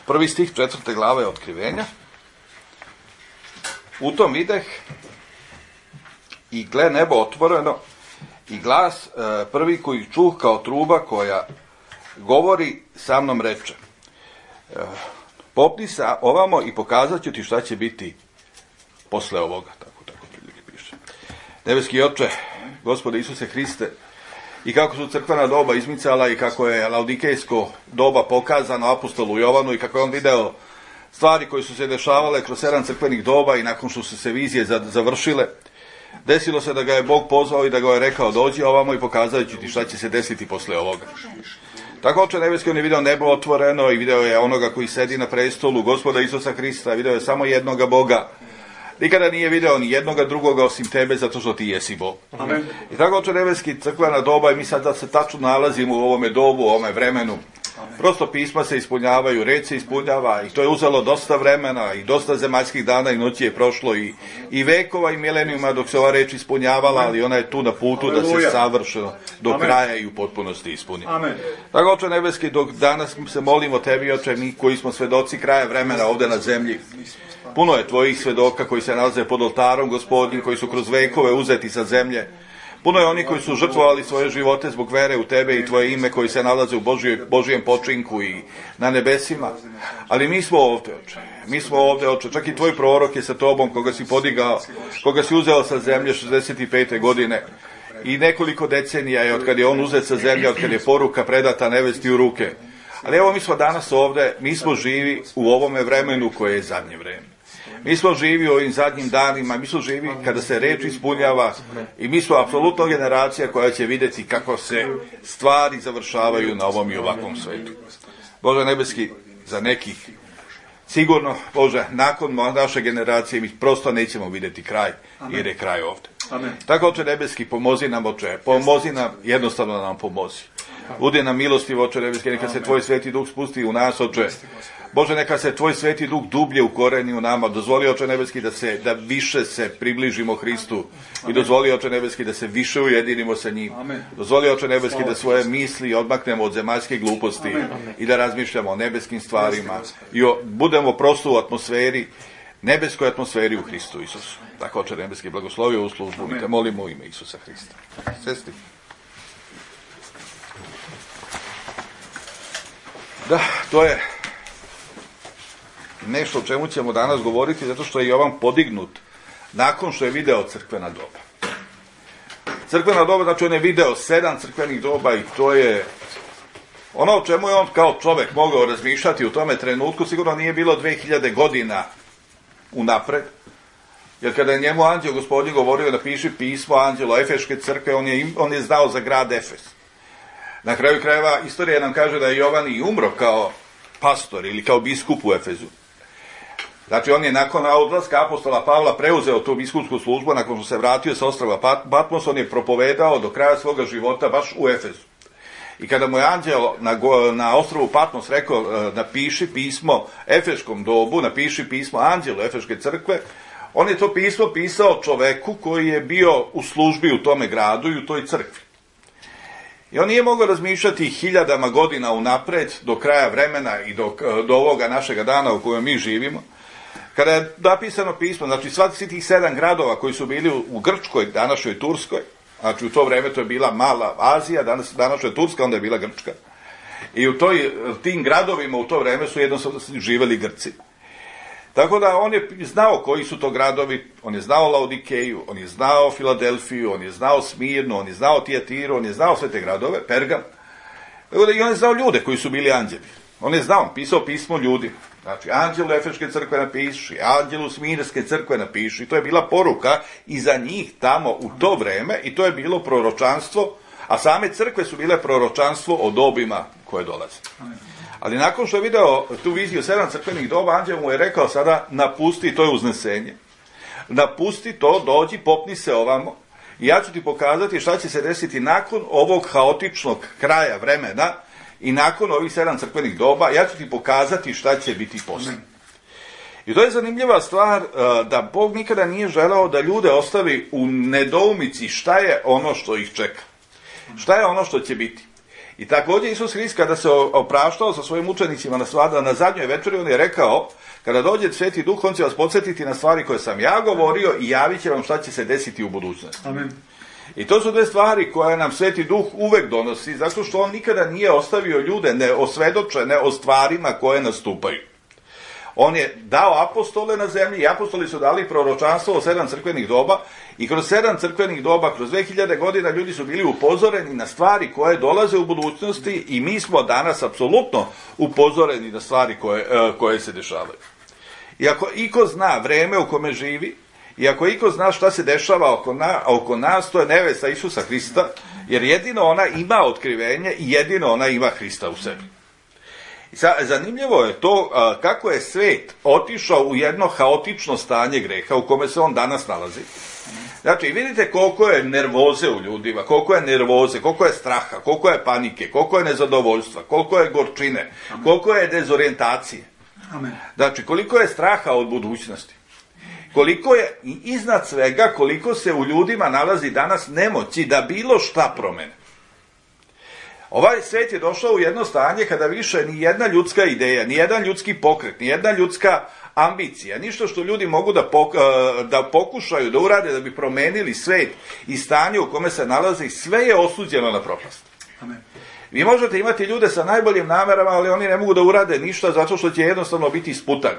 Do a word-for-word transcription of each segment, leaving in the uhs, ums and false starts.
prvi stih četvrte glave Otkrivenja. U tom videh i gle nebo otvoreno i glas prvi koji čuh kao truba koja govori sa mnom reče: popni se ovamo i pokazat ću ti šta će biti posle ovoga. Tako, tako piše. Nebeski Oče, Gospode Isuse Hriste, i kako su crkvena doba izmicala i kako je laodikejsko doba pokazano apostolu Jovanu i kako je on video stvari koje su se dešavale kroz sedam crkvenih doba i nakon što su se vizije završile, desilo se da ga je Bog pozvao i da ga je rekao: dođi ovamo i pokazat ću ti šta će se desiti posle ovoga. Tako Oče nebeski, on je video nebo otvoreno i video je onoga koji sedi na prestolu, Gospoda Isusa Hrista, video je samo jednoga Boga. Nikada nije video ni jednoga drugoga osim tebe, zato što ti jesi Bog. Amen. I tako Oče nebeski, crkvena doba, i mi sad da se tačno nalazimo u ovome dobu, u ovome vremenu. Amen. Prosto pisma se ispunjavaju, reč se ispunjava i to je uzelo dosta vremena i dosta zemaljskih dana i noći je prošlo i, i vekova i milenijuma dok se ova reč ispunjavala, ali ona je tu na putu Aleluja. Da se savršeno do Amen. Kraja i u potpunosti ispuni. Amen. Tako Oče nebeski, dok danas se molimo tebi, Oče, mi koji smo svedoci kraja vremena ovde na zemlji, puno je tvojih svedoka koji se nalaze pod oltarom Gospodnjim, koji su kroz vekove uzeti sa zemlje. Puno je oni koji su žrtvovali svoje živote zbog vere u tebe i tvoje ime, koji se nalaze u Božoj, Božijem počinku i na nebesima. Ali mi smo ovde, Oče. Mi smo ovde, Oče. Čak i tvoj prorok je sa tobom, koga si podigao, koga si uzeo sa zemlje šezdeset pete godine. I nekoliko decenija je od kad je on uzet sa zemlje, od kad je poruka predata nevesti u ruke. Ali evo, mi smo danas ovde, mi smo živi u ovome vremenu koje je zadnje vreme. Mi smo živi u ovim zadnjim danima, mi smo živi kada se reč ispunjava i mi smo apsolutno generacija koja će vidjeti kako se stvari završavaju na ovom i ovakvom svetu. Bože nebeski, za nekih sigurno, Bože, nakon naše generacije mi prosto nećemo vidjeti kraj, jer je kraj ovdje. Amen. Tako, Oče nebeski, pomozi nam, Oče, pomozi nam, jednostavno nam pomozi. Budi nam milosti, Oče nebeski, neka se tvoj sveti duh spusti u nas, Oče. Bože, neka se tvoj sveti duh dublje ukoreni u nama. Dozvoli, Oče nebeski, da se da više se približimo Hristu. I dozvoli, Oče nebeski, da se više ujedinimo sa njim. Dozvoli, Oče nebeski, da svoje misli odmaknemo od zemaljske gluposti i da razmišljamo o nebeskim stvarima i o, budemo prosto u atmosferi, nebeskoj atmosferi u Hristu Isusu. Tako, Oče nebeski, blagoslovi ovu službu. Mi te molimo u ime Isusa Hrista. Sesti. Da, to je nešto o čemu ćemo danas govoriti, zato što je Jovan podignut nakon što je video crkvena doba. Crkvena doba, znači on je video sedam crkvenih doba i to je ono o čemu je on kao čovek mogao razmišljati u tome trenutku, sigurno nije bilo dve hiljade godina unapred, jer kada je njemu anđeo Gospodin govorio da piše pismo anđelo Efeške crkve, on je, on je znao za grad Efes. Na kraju krajeva istorija nam kaže da je Jovan i umro kao pastor ili kao biskup u Efezu. Znači, on je nakon odlaska apostola Pavla preuzeo tu biskupsku službu, nakon što se vratio sa ostrva Patmos, on je propovedao do kraja svoga života baš u Efezu. I kada mu je anđel na, na ostrvu Patmos rekao, napiši pismo Efeškom dobu, napiši pismo anđelu Efeške crkve, on je to pismo pisao čoveku koji je bio u službi u tome gradu i u toj crkvi. I on nije mogao razmišljati hiljadama godina unapred, do kraja vremena i do, do ovoga našega dana u kojem mi živimo. Kada je napisano pismo, znači svi tih sedam gradova koji su bili u, u Grčkoj, današnjoj Turskoj, znači u to vreme to je bila mala Azija, danas današnja Turska, onda je bila Grčka. I u toj, tim gradovima u to vreme su jednostavno živeli Grci. Tako da on je znao koji su to gradovi, on je znao Laodikeju, on je znao Filadelfiju, on je znao Smirnu, on je znao Tijatiru, on je znao sve te gradove, Pergam. Tako da i on je znao ljude koji su bili anđeli. On je znao, on pisao pismo ljudima. Znači, anđelu Efeške crkve napiši, anđelu Smirnske crkve napiši. To je bila poruka i za njih tamo u to vreme i to je bilo proročanstvo, a same crkve su bile proročanstvo o dobima koje dolaze. Ali nakon što je video tu viziju sedam crkvenih doba, anđel mu je rekao sada napusti, to je uznesenje. Napusti to, dođi, popni se ovamo i ja ću ti pokazati šta će se desiti nakon ovog haotičnog kraja vremena i nakon ovih sedam crkvenih doba, ja ću ti pokazati šta će biti posle. I to je zanimljiva stvar da Bog nikada nije želeo da ljude ostavi u nedoumici šta je ono što ih čeka. Šta je ono što će biti. I također Isus Hrist kada se opraštao sa svojim učenicima na, svada, na zadnjoj večeri, on je rekao, kada dođe Sveti Duh, on će vas podsjetiti na stvari koje sam ja govorio i javit će vam šta će se desiti u budućnosti. Amen. I to su dve stvari koje nam Sveti Duh uvek donosi, zato što on nikada nije ostavio ljude neosvedočene o stvarima koje nastupaju. On je dao apostole na zemlji i apostoli su dali proročanstvo o sedam crkvenih doba i kroz sedam crkvenih doba, kroz dve hiljade godina ljudi su bili upozoreni na stvari koje dolaze u budućnosti i mi smo danas apsolutno upozoreni na stvari koje, koje se dešavaju. I ako iko zna vreme u kome živi, i ako iko zna šta se dešava oko, na, oko nas, to je nevesta Isusa Hrista, jer jedino ona ima otkrivenje i jedino ona ima Hrista u sebi. Zanimljivo je to kako je svet otišao u jedno haotično stanje greha u kome se on danas nalazi. Znači, vidite koliko je nervoze u ljudima, koliko je nervoze, koliko je straha, koliko je panike, koliko je nezadovoljstva, koliko je gorčine, koliko je dezorijentacije. Znači, koliko je straha od budućnosti. Koliko je, i iznad svega, koliko se u ljudima nalazi danas nemoći da bilo šta promene. Ovaj svet je došao u jedno stanje kada više ni jedna ljudska ideja, ni jedan ljudski pokret, ni jedna ljudska ambicija, ništa što ljudi mogu da, pok, da pokušaju da urade da bi promenili svet i stanje u kome se nalazi, sve je osuđeno na propast. Amen. Vi možete imati ljude sa najboljim namerama, ali oni ne mogu da urade ništa zato što će jednostavno biti isputani.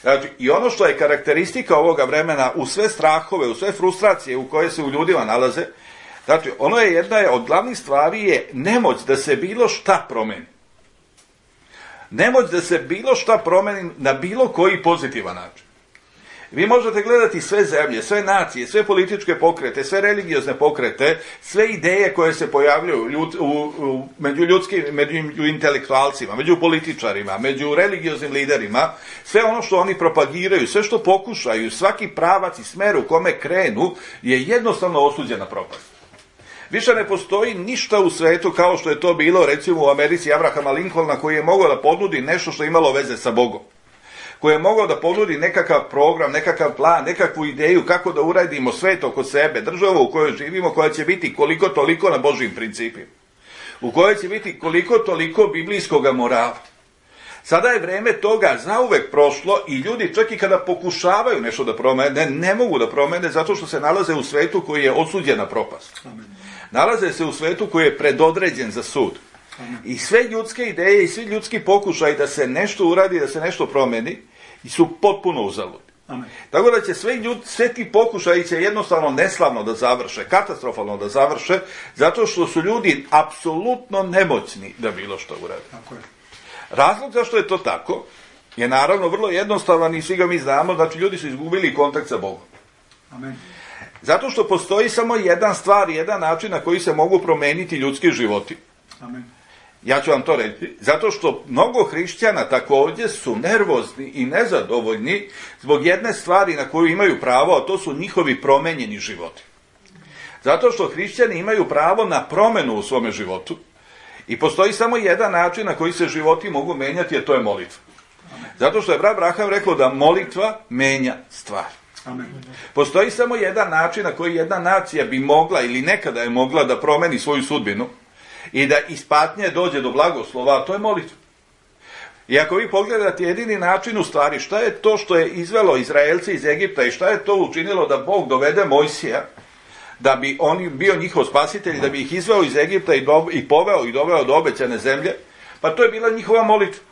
Znači, i ono što je karakteristika ovoga vremena, u sve strahove, u sve frustracije u koje se u ljudima nalaze, znači, ono je jedna od glavnih stvari je nemoć da se bilo šta promeni. Nemoć da se bilo šta promeni na bilo koji pozitivan način. Vi možete gledati sve zemlje, sve nacije, sve političke pokrete, sve religiozne pokrete, sve ideje koje se pojavljuju ljud, u, u, među ljudskim, među intelektualcima, među političarima, među religioznim liderima, sve ono što oni propagiraju, sve što pokušaju, svaki pravac i smer u kome krenu je jednostavno osuđen na propast. Više ne postoji ništa u svetu kao što je to bilo recimo u Americi Abrahama Lincolna, koji je mogao da ponudi nešto što je imalo veze sa Bogom. Koji je mogao da ponudi nekakav program, nekakav plan, nekakvu ideju kako da uradimo svet oko sebe, državu u kojoj živimo, koja će biti koliko toliko na Božjim principima. U kojoj će biti koliko toliko biblijskog morala. Sada je vreme toga zauvek prošlo i ljudi čak i kada pokušavaju nešto da promene, ne mogu da promene zato što se nalaze u svetu koji je osuđen na propast. Amen. Nalaze se u svetu koji je predodređen za sud. Amen. I sve ljudske ideje i svi ljudski pokušaj da se nešto uradi, da se nešto promeni, su potpuno uzaludni. Amen. Tako da će sve, ljud, sve ti pokušaji će jednostavno neslavno da završe, katastrofalno da završe, zato što su ljudi apsolutno nemoćni da bilo što urade. Tako je. Razlog zašto je to tako je naravno vrlo jednostavan i svi ga mi znamo, znači ljudi su izgubili kontakt sa Bogom. Amen. Zato što postoji samo jedan stvar, jedan način na koji se mogu promeniti ljudski životi. Amen. Ja ću vam to reći. Zato što mnogo hrišćana također su nervozni i nezadovoljni zbog jedne stvari na koju imaju pravo, a to su njihovi promenjeni životi. Zato što hrišćani imaju pravo na promenu u svome životu i postoji samo jedan način na koji se životi mogu menjati, a to je molitva. Zato što je brat Braham rekao da molitva menja stvar. Amen. Postoji samo jedan način na koji jedna nacija bi mogla ili nekada je mogla da promeni svoju sudbinu i da iz patnje dođe do blagoslova, a to je molitva. I ako vi pogledate jedini način u stvari, šta je to što je izvelo Izraelce iz Egipta i šta je to učinilo da Bog dovede Mojsija, da bi on bio njihov spasitelj, da bi ih izveo iz Egipta i, do, i poveo i doveo do obećane zemlje, pa to je bila njihova molitva.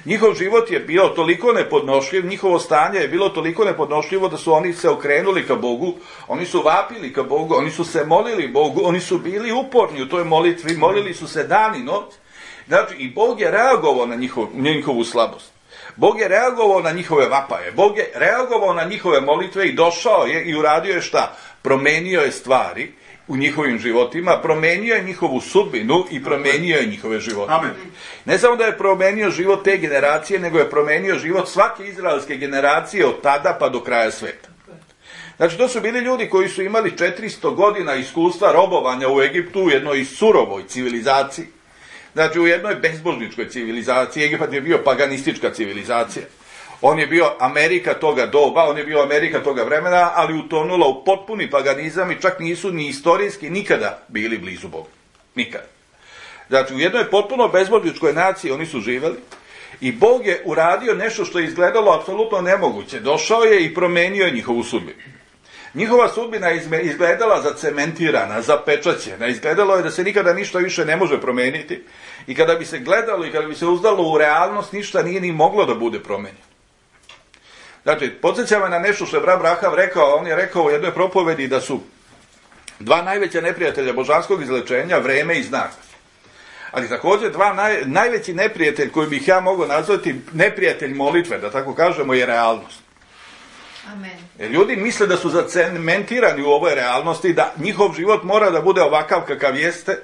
Njihov život je bio toliko nepodnošljiv, njihovo stanje je bilo toliko nepodnošljivo da su oni se okrenuli ka Bogu, oni su vapili ka Bogu, oni su se molili Bogu, oni su bili uporni u toj molitvi, molili su se dan i noć. Znači, i Bog je reagovao na njihov, njihovu slabost. Bog je reagovao na njihove vapaje, Bog je reagovao na njihove molitve i došao je i uradio je šta? Promenio je stvari u njihovim životima, promenio je njihovu sudbinu i promenio je njihove živote. Amen. Ne samo da je promenio život te generacije, nego je promenio život svake izraelske generacije od tada pa do kraja sveta. Znači, to su bili ljudi koji su imali četiristo godina iskustva robovanja u Egiptu, u jednoj surovoj civilizaciji. Znači, u jednoj bezbožničkoj civilizaciji. Egipat je bio paganistička civilizacija. On je bio Amerika toga doba, on je bio Amerika toga vremena, ali utonula u potpuni paganizam i čak nisu ni istorijski nikada bili blizu Boga. Nikada. Znači, u jednoj potpuno bezbožničkoj naciji oni su živeli i Bog je uradio nešto što je izgledalo apsolutno nemoguće. Došao je i promenio je njihovu sudbinu. Njihova sudbina je izgledala zacementirana, zapečaćena. Izgledalo je da se nikada ništa više ne može promeniti. I kada bi se gledalo i kada bi se uzdalo u realnost, ništa nije ni moglo da bude promenjeno. Znači, podsjeća me na nešto što je brat Braham rekao. On je rekao u jednoj propovedi da su dva najveća neprijatelja božanskog izlečenja vreme i znak. Ali također dva naj, najveći neprijatelj koji bih ja mogao nazvati neprijatelj molitve, da tako kažemo, je realnost. Amen. Jer ljudi misle da su zacementirani u ovoj realnosti, da njihov život mora da bude ovakav kakav jeste,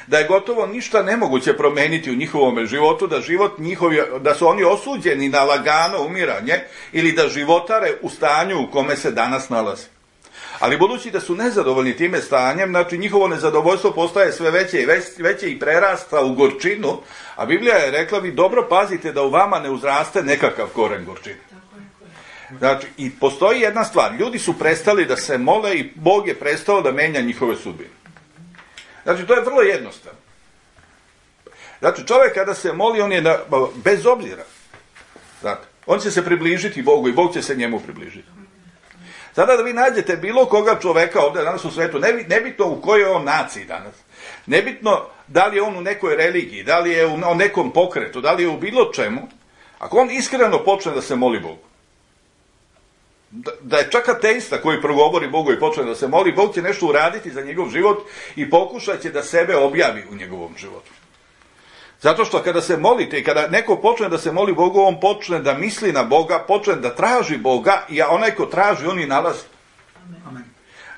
da je gotovo ništa nemoguće promeniti u njihovom životu, da život njihov, da su oni osuđeni na lagano umiranje ili da životare u stanju u kome se danas nalaze. Ali budući da su nezadovoljni time stanjem, znači njihovo nezadovoljstvo postaje sve veće i veće i prerasta u gorčinu, a Biblija je rekla, vi dobro pazite da u vama ne uzraste nekakav koren gorčine. Znači, i postoji jedna stvar, ljudi su prestali da se mole i Bog je prestao da menja njihove sudbine. Znači, to je vrlo jednostavno. Znači, čovjek kada se moli, on je na, bez obzira. Znači, on će se približiti Bogu i Bog će se njemu približiti. Sada da vi nađete bilo koga čoveka ovdje danas u svetu, nebitno u kojoj on naciji danas, nebitno da li je on u nekoj religiji, da li je u nekom pokretu, da li je u bilo čemu, ako on iskreno počne da se moli Bogu, da, da je čak ateista koji progovori Bogu i počne da se moli, Bog će nešto uraditi za njegov život i pokušat će da sebe objavi u njegovom životu. Zato što kada se molite i kada neko počne da se moli Bogu, on počne da misli na Boga, počne da traži Boga i onaj ko traži, on i nalazi. Amen.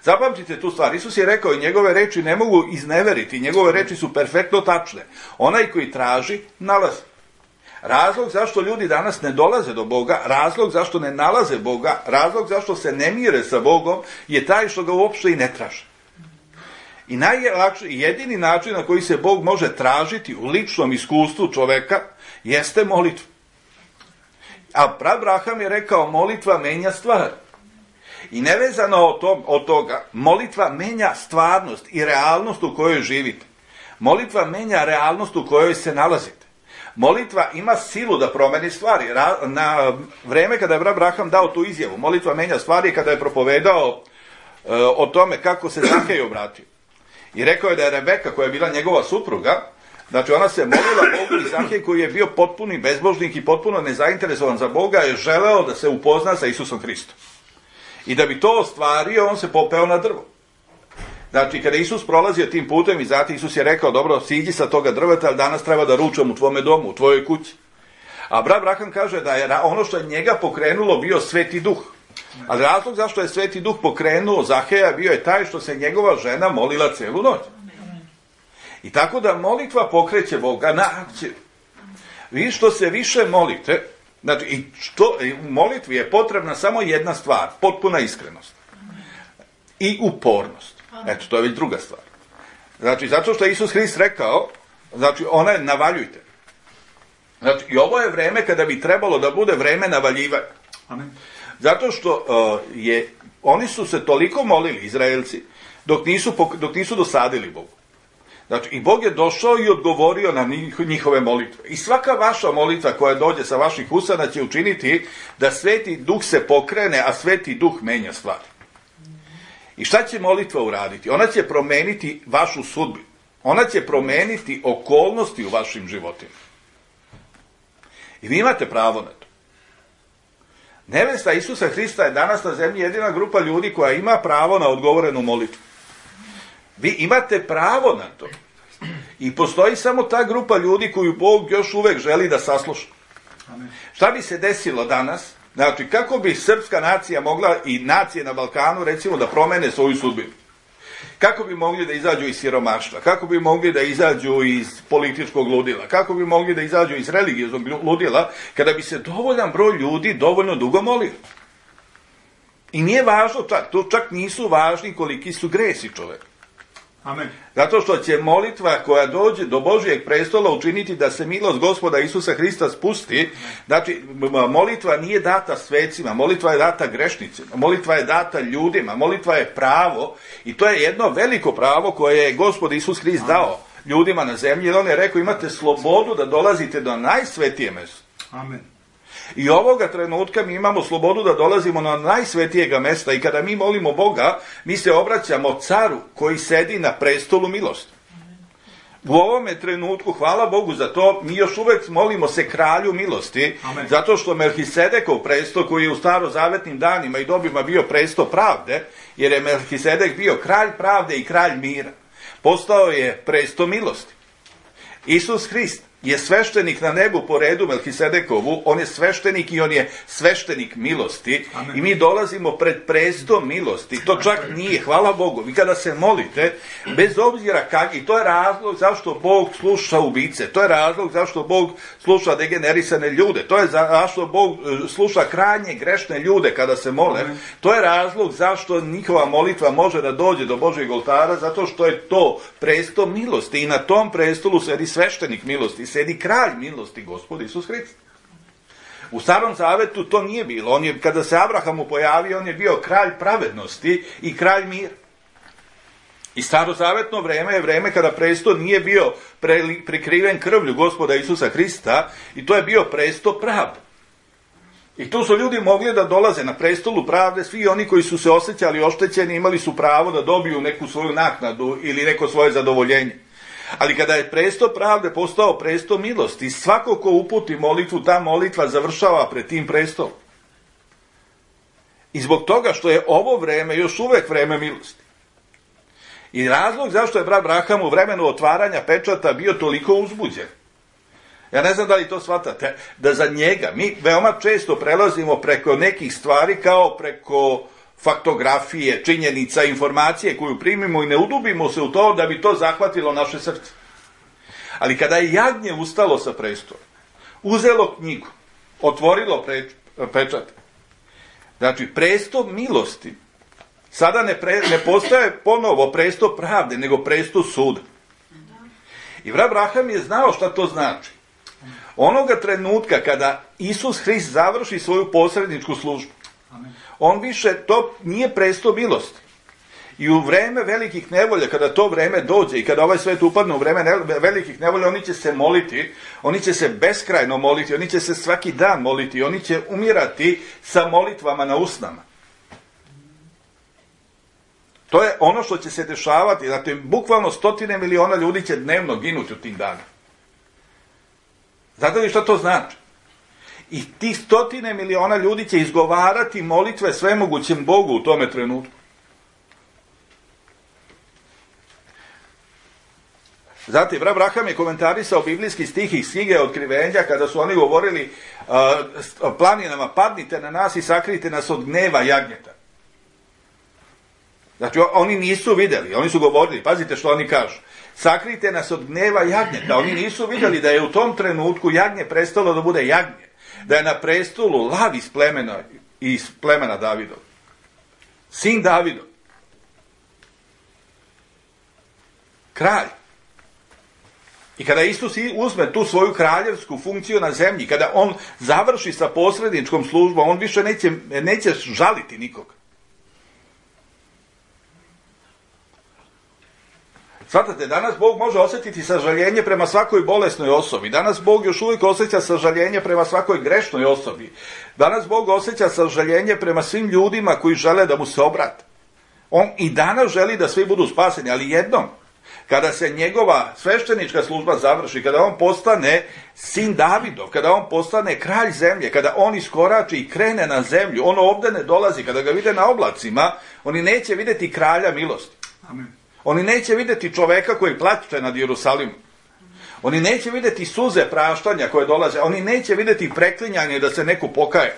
Zapamtite tu stvar. Isus je rekao i njegove reči ne mogu izneveriti, njegove reči su perfektno tačne. Onaj koji traži, nalazi. Razlog zašto ljudi danas ne dolaze do Boga, razlog zašto ne nalaze Boga, razlog zašto se ne mire sa Bogom je taj što ga uopšte i ne traže. I najlakši, jedini način na koji se Bog može tražiti u ličnom iskustvu čoveka jeste molitva. A prav Braham je rekao, molitva menja stvar. I nevezano od, tom, od toga, molitva menja stvarnost i realnost u kojoj živite. Molitva menja realnost u kojoj se nalazite. Molitva ima silu da promeni stvari. Na vreme kada je Braham dao tu izjavu, molitva menja stvari, kada je propovedao e, o tome kako se Zahej obratio. I rekao je da je Rebeka, koja je bila njegova supruga, znači ona se molila Bogu i Zahej, koji je bio potpuni bezbožnik i potpuno nezainteresovan za Boga, je želeo da se upozna sa Isusom Hristom. I da bi to ostvario, on se popeo na drvo. Znači, kada Isus prolazio tim putem i zatim Isus je rekao, dobro, siđi sa toga drveta, ali danas treba da ručam u tvome domu, u tvojoj kući. A brat Braham kaže da je ono što je njega pokrenulo bio Sveti Duh. Ali razlog zašto je Sveti Duh pokrenuo Zaheja bio je taj što se njegova žena molila celu noć. I tako da molitva pokreće Boga na akciju. Vi što se više molite, znači i što, u molitvi je potrebna samo jedna stvar, potpuna iskrenost. I upornost. Eto, to je već druga stvar. Znači, zato što je Isus Hrist rekao, znači, ona je navaljujte. Znači, i ovo je vreme kada bi trebalo da bude vreme navaljivanja. Amen. Zato što uh, je, oni su se toliko molili, Izraelci, dok nisu, dok nisu dosadili Bogu. Znači, i Bog je došao i odgovorio na njihove molitve. I svaka vaša molitva koja dođe sa vaših usana će učiniti da Sveti Duh se pokrene, a Sveti Duh menja stvari. I šta će molitva uraditi? Ona će promeniti vašu sudbinu. Ona će promeniti okolnosti u vašim životima. I vi imate pravo na to. Nevesta Isusa Hrista je danas na zemlji jedina grupa ljudi koja ima pravo na odgovorenu molitvu. Vi imate pravo na to. I postoji samo ta grupa ljudi koju Bog još uvek želi da sasluša. Amen. Šta bi se desilo danas? Znači, kako bi srpska nacija mogla i nacije na Balkanu, recimo, da promene svoju sudbinu? Kako bi mogli da izađu iz siromaštva? Kako bi mogli da izađu iz političkog ludila? Kako bi mogli da izađu iz religioznog ludila kada bi se dovoljan broj ljudi dovoljno dugo molio? I nije važno čak, to čak nisu važni koliki su gresi čoveka. Amen. Zato što će molitva koja dođe do Božijeg prestola učiniti da se milost Gospoda Isusa Hrista spusti. Znači, molitva nije data svecima, molitva je data grešnicima, molitva je data ljudima, molitva je pravo i to je jedno veliko pravo koje je Gospod Isus Hrist dao ljudima na zemlji, jer on je rekao imate slobodu da dolazite do najsvetije mjesto. Amen. I ovoga trenutka mi imamo slobodu da dolazimo na najsvetijega mjesta i kada mi molimo Boga, mi se obraćamo caru koji sedi na prestolu milosti. U ovome trenutku, hvala Bogu za to, mi još uvek molimo se kralju milosti, Amen. zato što Melhisedekov presto, koji je u starozavetnim danima i dobima bio presto pravde, jer je Melhisedek bio kralj pravde i kralj mira, postao je presto milosti. Isus Hrist je sveštenik na nebu po redu Melhisedekovu, on je sveštenik i on je sveštenik milosti. Amen. I mi dolazimo pred prestom milosti. To čak nije, hvala Bogu. Vi kada se molite, bez obzira kak, i to je razlog zašto Bog sluša ubice, to je razlog zašto Bog sluša degenerisane ljude, to je zašto Bog sluša krajnje grešne ljude kada se mole, Amen. To je razlog zašto njihova molitva može da dođe do Božjeg oltara, zato što je to presto milosti i na tom prestolu sedi sveštenik milosti, sedi kralj milosti, Gospod Isus Hrist. U Starom zavetu to nije bilo. On je, kada se Abrahamu pojavio, on je bio kralj pravednosti i kralj mira. I starozavetno vreme je vreme kada presto nije bio pre, prikriven krvlju Gospoda Isusa Hrista i to je bio presto pravde. I tu su ljudi mogli da dolaze na prestolu pravde, svi oni koji su se osjećali oštećeni imali su pravo da dobiju neku svoju naknadu ili neko svoje zadovoljenje. Ali kada je presto pravde postao presto milosti, svako ko uputi molitvu, ta molitva završava pred tim prestolom. I zbog toga što je ovo vreme još uvek vreme milosti. I razlog zašto je brat Braham u vremenu otvaranja pečata bio toliko uzbuđen. Ja ne znam da li to shvatate, da za njega mi veoma često prelazimo preko nekih stvari kao preko faktografije, činjenica, informacije koju primimo i ne udubimo se u to da bi to zahvatilo naše srce. Ali kada je jagnje ustalo sa prestola, uzelo knjigu, otvorilo pre, pečat, znači presto milosti, sada ne, pre, ne postaje ponovo presto pravde, nego presto suda. I brat Braham je znao šta to znači. Onoga trenutka kada Isus Hrist završi svoju posredničku službu, on više, to nije presto milosti. I u vreme velikih nevolja, kada to vreme dođe i kada ovaj svet upadne u vreme velikih nevolja, oni će se moliti, oni će se beskrajno moliti, oni će se svaki dan moliti, oni će umirati sa molitvama na usnama. To je ono što će se dešavati, znači bukvalno stotine miliona ljudi će dnevno ginuti u tim danima. Znate li što to znači? I tih stotine miliona ljudi će izgovarati molitve svemogućem Bogu u tome trenutku. Zatim, brat Braham je komentarisao biblijski stih iz knjige Otkrivenja, kada su oni govorili uh, planinama, padnite na nas i sakrijte nas od gneva jagnjeta. Znači, oni nisu vidjeli, oni su govorili, pazite što oni kažu, sakrijte nas od gneva jagnjeta. Oni nisu vidjeli da je u tom trenutku jagnje prestalo da bude jagnje, da je na prestolu lav iz plemena, iz plemena Davidov. Sin Davidov. Kralj. I kada Isus uzme tu svoju kraljevsku funkciju na zemlji, kada on završi sa posredničkom službom, on više neće, neće žaliti nikoga. Svatate, danas Bog može osjetiti sažaljenje prema svakoj bolesnoj osobi. Danas Bog još uvijek osjeća sažaljenje prema svakoj grešnoj osobi. Danas Bog osjeća sažaljenje prema svim ljudima koji žele da mu se obrate. On i danas želi da svi budu spaseni, ali jednom, kada se njegova sveštenička služba završi, kada on postane sin Davidov, kada on postane kralj zemlje, kada on iskorači i krene na zemlju, on ovdje ne dolazi, kada ga vide na oblacima, oni neće vidjeti kralja milosti. Amen. Oni neće vidjeti čoveka koji plače nad Jerusalimom. Oni neće vidjeti suze praštanja koje dolaze. Oni neće vidjeti preklinjanje da se neko pokaje.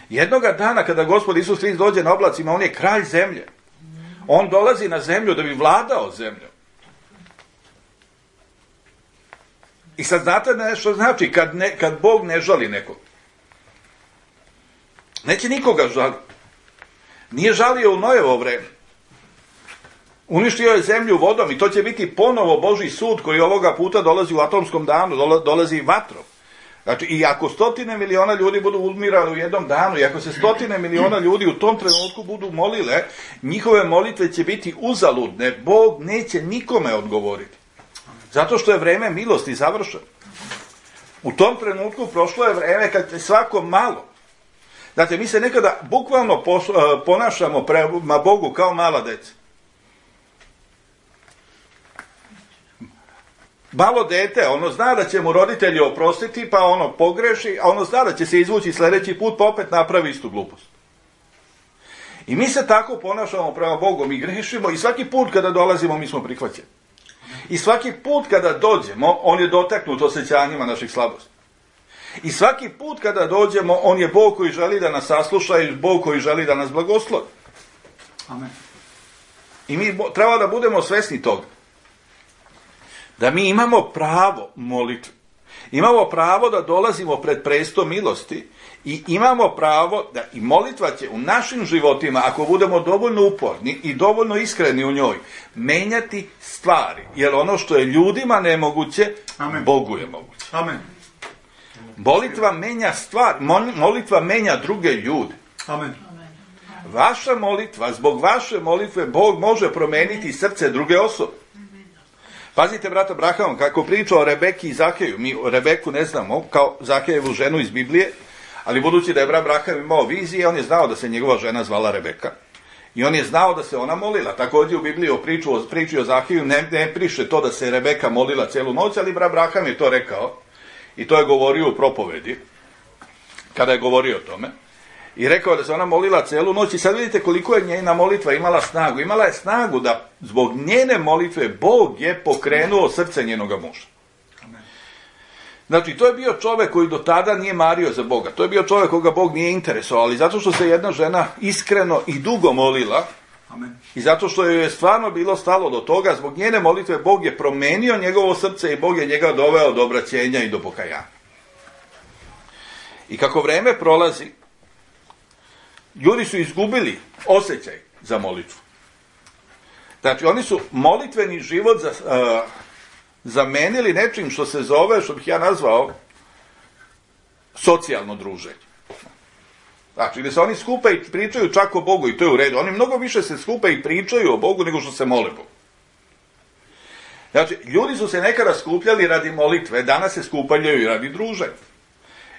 Jednoga dana kada Gospod Isus Hrist dođe na oblacima, on je kralj zemlje. On dolazi na zemlju da bi vladao zemljom. I sad znate nešto znači kad, ne, kad Bog ne žali nekog. Neće nikoga žaliti. Nije žalio u Nojevo vreme. Uništio je zemlju vodom i to će biti ponovo Božji sud koji ovoga puta dolazi u atomskom danu, dolazi vatrom. Znači, i ako stotine miliona ljudi budu umirali u jednom danu, i ako se stotine miliona ljudi u tom trenutku budu molile, njihove molitve će biti uzaludne. Bog neće nikome odgovoriti. Zato što je vreme milosti završeno. U tom trenutku prošlo je vreme kad je svako malo. Znate, mi se nekada bukvalno ponašamo prema Bogu kao mala deca. Malo dete, ono zna da će mu roditelji oprostiti, pa ono pogreši, a ono zna da će se izvući sljedeći put, pa opet napravi istu glupost. I mi se tako ponašamo prema Bogu, mi grešimo i svaki put kada dolazimo mi smo prihvaćeni. I svaki put kada dođemo, on je dotaknut osjećanjima naših slabosti. I svaki put kada dođemo, on je Bog koji želi da nas sasluša i Bog koji želi da nas blagoslovi. Amen. I mi treba da budemo svesni toga. Da mi imamo pravo molitve. Imamo pravo da dolazimo pred presto milosti i imamo pravo da i molitva će u našim životima, ako budemo dovoljno uporni i dovoljno iskreni u njoj, menjati stvari. Jer ono što je ljudima nemoguće, Amen. Bogu je moguće. Amen. Molitva menja stvar, molitva menja druge ljude. Amen. Vaša molitva, zbog vaše molitve, Bog može promeniti srce druge osobe. Pazite, brata Abraham, kako priča o Rebeki i Zakeju. Mi Rebeku ne znamo kao Zakejevu ženu iz Biblije, ali budući da je brat Abraham imao vizije, on je znao da se njegova žena zvala Rebeka. I on je znao da se ona molila. Također u Bibliji o priču, o priči o Zakeju ne, ne priše to da se Rebeka molila cijelu noć, ali brat Abraham je to rekao. I to je govorio u propovedi, kada je govorio o tome. I rekao da se ona molila cijelu noć i sad vidite koliko je njena molitva imala snagu. Imala je snagu da zbog njene molitve Bog je pokrenuo srce njenoga muža. Znači, to je bio čovjek koji do tada nije mario za Boga. To je bio čovjek koga Bog nije interesovao, ali zato što se jedna žena iskreno i dugo molila, Amen. I zato što joj je stvarno bilo stalo do toga, zbog njene molitve Bog je promenio njegovo srce i Bog je njega doveo do obraćenja i do pokajanja. I kako vreme prolazi, ljudi su izgubili osjećaj za molitvu. Znači, oni su molitveni život za, uh, zamenili nečim što se zove, što bih ja nazvao, socijalno druženje. Znači, gdje se oni skupe i pričaju čak o Bogu i to je u redu. Oni mnogo više se skupe i pričaju o Bogu nego što se mole Bogu. Znači, ljudi su se nekada skupljali radi molitve, danas se skupljaju i radi druženja.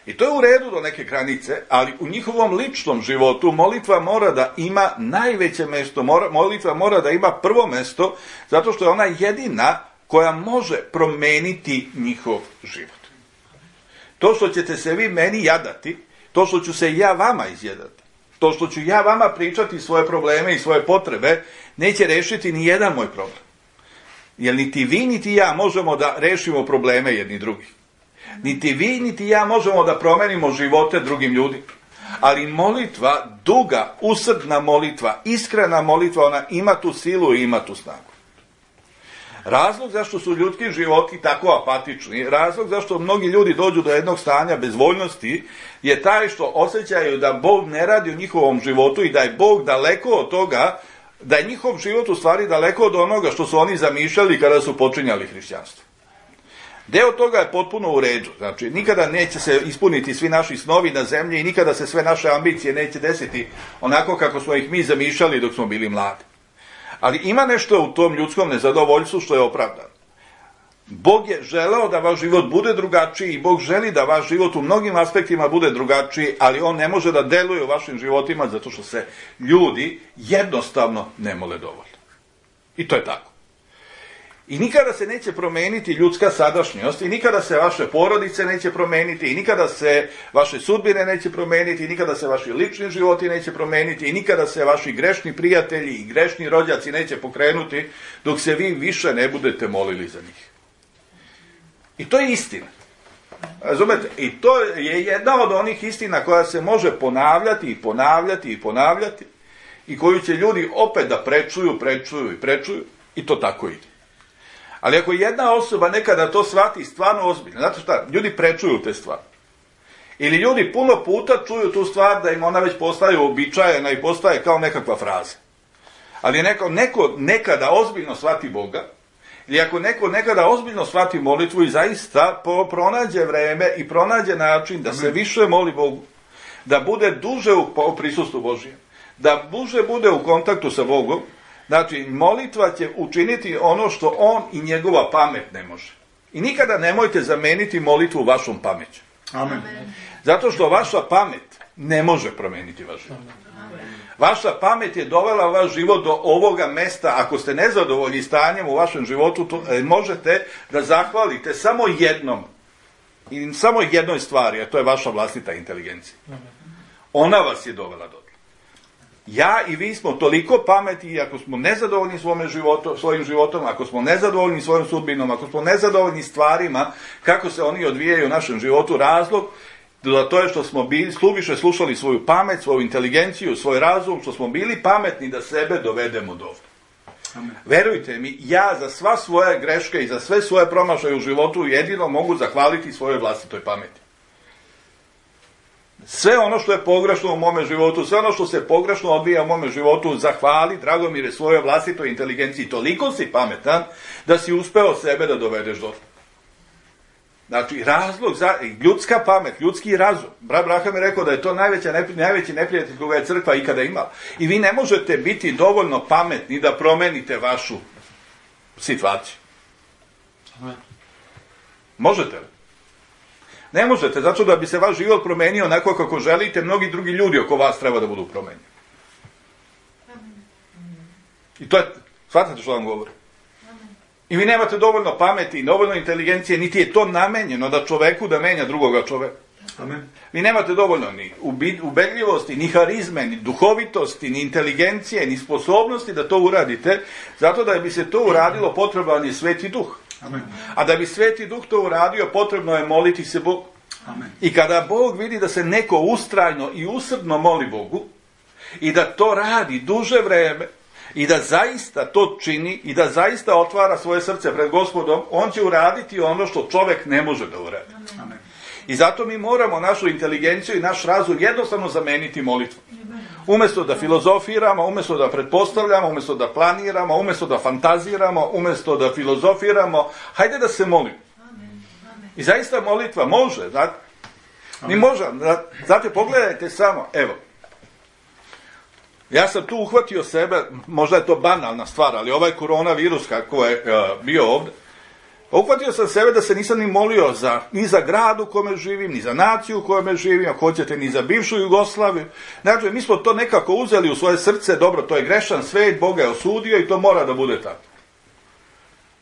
I to je u redu do neke granice, ali u njihovom ličnom životu molitva mora da ima najveće mjesto, mora, molitva mora da ima prvo mjesto, zato što je ona jedina koja može promeniti njihov život. To što ćete se vi meni jadati, to što ću se ja vama izjedati, to što ću ja vama pričati svoje probleme i svoje potrebe, neće rešiti ni jedan moj problem. Jer niti vi, niti ja možemo da rešimo probleme jedni drugih. Niti vi, niti ja možemo da promenimo živote drugim ljudima. Ali molitva, duga, usrdna molitva, iskrena molitva, ona ima tu silu i ima tu snagu. Razlog zašto su ljudski životi tako apatični, razlog zašto mnogi ljudi dođu do jednog stanja bezvoljnosti, je taj što osjećaju da Bog ne radi u njihovom životu i da je Bog daleko od toga, da je njihov život u stvari daleko od onoga što su oni zamišljali kada su počinjali hrišćanstvo. Deo toga je potpuno u redu. Znači, nikada neće se ispuniti svi naši snovi na zemlji i nikada se sve naše ambicije neće desiti onako kako smo ih mi zamišljali dok smo bili mladi. Ali ima nešto u tom ljudskom nezadovoljstvu što je opravdano. Bog je želeo da vaš život bude drugačiji i Bog želi da vaš život u mnogim aspektima bude drugačiji, ali on ne može da deluje u vašim životima zato što se ljudi jednostavno ne mole dovoljno. I to je tako. I nikada se neće promeniti ljudska sadašnjost i nikada se vaše porodice neće promeniti i nikada se vaše sudbine neće promeniti i nikada se vaši lični životi neće promeniti i nikada se vaši grešni prijatelji i grešni rođaci neće pokrenuti dok se vi više ne budete molili za njih. I to je istina. Razumete? I to je jedna od onih istina koja se može ponavljati i ponavljati i ponavljati i koju će ljudi opet da prečuju, prečuju i prečuju i to tako ide. Ali ako jedna osoba nekada to shvati stvarno ozbiljno, znate šta, ljudi prečuju te stvari. Ili ljudi puno puta čuju tu stvar da im ona već postaje uobičajena i postaje kao nekakva fraza. Ali neko, neko nekada ozbiljno shvati Boga, ili ako neko nekada ozbiljno shvati molitvu i zaista pronađe vreme i pronađe način da se više moli Bogu, da bude duže u prisustvu Božijem, da duže bude u kontaktu sa Bogom, Znači, molitva će učiniti ono što on i njegova pamet ne može. I nikada nemojte zameniti molitvu vašom pameću. Amen. Zato što vaša pamet ne može promeniti vaš život. Vaša pamet je dovela vaš život do ovoga mesta. Ako ste nezadovoljni stanjem u vašem životu, to, e, možete da zahvalite samo jednom. I samo jednoj stvari, a to je vaša vlastita inteligencija. Ona vas je dovela do. Ja i vi smo toliko pameti i ako smo nezadovoljni svome životu, svojim životom, ako smo nezadovoljni svojom sudbinom, ako smo nezadovoljni stvarima, kako se oni odvijaju u našem životu, razlog da to je što smo bili, slubiše slušali svoju pamet, svoju inteligenciju, svoj razum, što smo bili pametni da sebe dovedemo do ovdje. Amen. Verujte mi, ja za sva svoje greške i za sve svoje promašaje u životu jedino mogu zahvaliti svojoj vlastitoj pameti. Sve ono što je pogrešno u mome životu, sve ono što se pogrešno odvija u mome životu, zahvali, Dragomire, svojoj vlastitoj inteligenciji. Toliko si pametan da si uspeo sebe da dovedeš do. Znači, razlog za ljudska pamet, ljudski razum. Brat Braham je rekao da je to najveća, najveći neprijatelj koga je crkva ikada imala. I vi ne možete biti dovoljno pametni da promenite vašu situaciju. Možete li? Ne možete, zato da bi se vaš život promenio onako kako želite, mnogi drugi ljudi oko vas treba da budu promenjeni. I to je, shvatate što vam govorim? I vi nemate dovoljno pameti, dovoljno inteligencije, niti je to namenjeno da čoveku da menja drugoga čoveka. Amen. Vi nemate dovoljno ni ubedljivosti, ni harizme, ni duhovitosti, ni inteligencije, ni sposobnosti da to uradite, zato da bi se to uradilo potreban je Sveti Duh. Amen. A da bi Sveti Duh to uradio, potrebno je moliti se Bogu. Amen. I kada Bog vidi da se neko ustrajno i usrdno moli Bogu i da to radi duže vreme i da zaista to čini i da zaista otvara svoje srce pred Gospodom, on će uraditi ono što čovek ne može da uradi. Amen. I zato mi moramo našu inteligenciju i naš razum jednostavno zameniti molitvom. Umjesto da filozofiramo, umjesto da pretpostavljamo, umjesto da planiramo, umjesto da fantaziramo, umjesto da filozofiramo, hajde da se molimo. I zaista molitva može, znate, mi možemo, znate, pogledajte samo, evo, ja sam tu uhvatio sebe, možda je to banalna stvar, ali ovaj koronavirus kako je uh, bio ovdje, uhvatio sam sebe da se nisam ni molio za, ni za grad u kome živim, ni za naciju u kome živim, ako hoćete, ni za bivšu Jugoslaviju. Znači, mi smo to nekako uzeli u svoje srce, dobro, to je grešan svet, Bog je osudio i to mora da bude tako.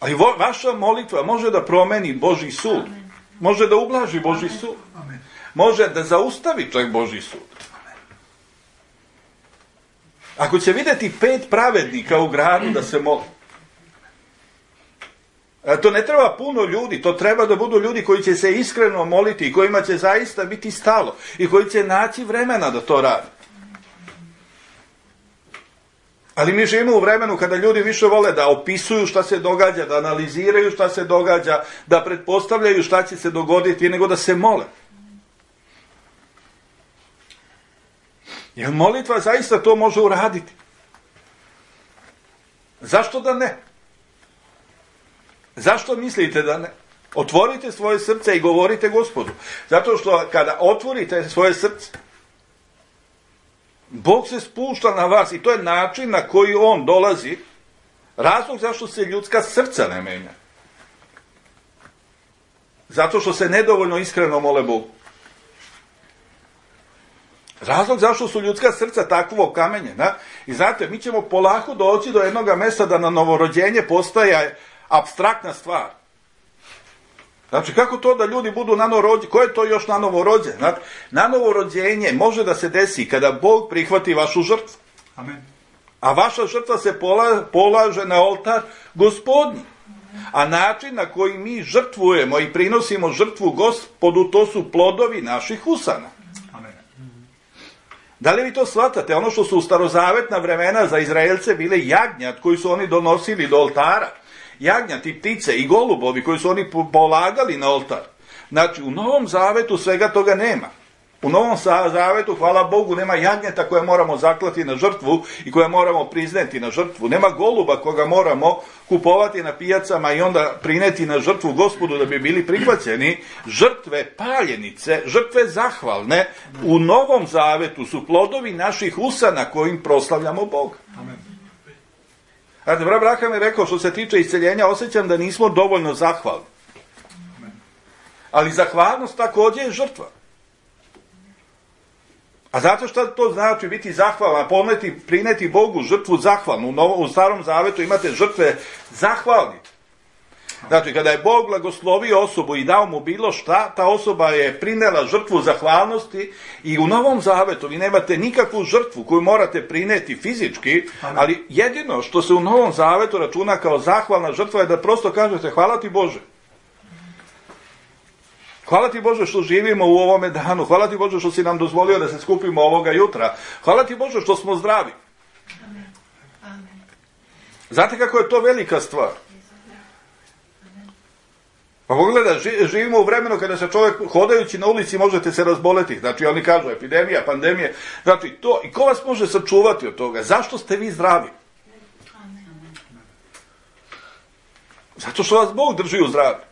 Ali vo, vaša molitva može da promeni Božji sud. Može da ublaži Božji sud. Može da zaustavi čak Božji sud. Ako će vidjeti pet pravednika u gradu da se moli, to ne treba puno ljudi, to treba da budu ljudi koji će se iskreno moliti i kojima će zaista biti stalo i koji će naći vremena da to radi. Ali mi živimo u vremenu kada ljudi više vole da opisuju šta se događa, da analiziraju šta se događa, da pretpostavljaju šta će se dogoditi, nego da se mole. Jer molitva zaista to može uraditi. Zašto da ne? Zašto mislite da ne? Otvorite svoje srce i govorite Gospodu. Zato što kada otvorite svoje srce, Bog se spušta na vas i to je način na koji on dolazi. Razlog zašto se ljudska srca ne menja. Zato što se nedovoljno iskreno mole Bogu. Razlog zašto su ljudska srca takvo kamenjena. I znate, mi ćemo polako doći do jednog mjesta da na novorođenje postaje apstraktna stvar. Znači, kako to da ljudi budu nanorođeni? Ko je to još nanorođen? Znači, nanovorođenje može da se desi kada Bog prihvati vašu žrtvu. Amen. A vaša žrtva se pola, polaže na oltar Gospodnji. A način na koji mi žrtvujemo i prinosimo žrtvu Gospodu, to su plodovi naših usana. Amen. Da li vi to shvatate? Ono što su u starozavetna vremena za Izraelce bile jagnjad koji su oni donosili do oltara. Jagnjati, ptice i golubovi koji su oni polagali na oltar. Znači, u Novom Zavetu svega toga nema. U Novom Zavetu, hvala Bogu, nema jagnjeta koje moramo zaklati na žrtvu i koje moramo prizneti na žrtvu. Nema goluba koga moramo kupovati na pijacama i onda prineti na žrtvu Gospodu da bi bili prihvaćeni. Žrtve paljenice, žrtve zahvalne u Novom Zavetu su plodovi naših usana kojim proslavljamo Boga. Amen. Znate, brat Abraham je rekao, što se tiče isceljenja, osjećam da nismo dovoljno zahvalni. Ali zahvalnost također je žrtva. A zato što to znači biti zahvalan, poneti, prineti Bogu žrtvu zahvalnu. U, novo, u Starom Zavetu imate žrtve zahvalni. Znači, kada je Bog blagoslovio osobu i dao mu bilo šta, ta osoba je prinela žrtvu zahvalnosti i u Novom Zavetu vi nemate nikakvu žrtvu koju morate prineti fizički, ali jedino što se u Novom Zavetu računa kao zahvalna žrtva je da prosto kažete hvala ti Bože. Hvala ti Bože što živimo u ovome danu, hvala ti Bože što si nam dozvolio da se skupimo ovoga jutra, hvala ti Bože što smo zdravi. Amen. Amen. Znate kako je to velika stvar? Pa pogledaj, živimo u vremenu kada se čovjek hodajući na ulici možete se razboleti. Znači oni kažu epidemija, pandemije. Znači to, i ko vas može sačuvati od toga? Zašto ste vi zdravi? Zato što vas Bog drži u zdravlju.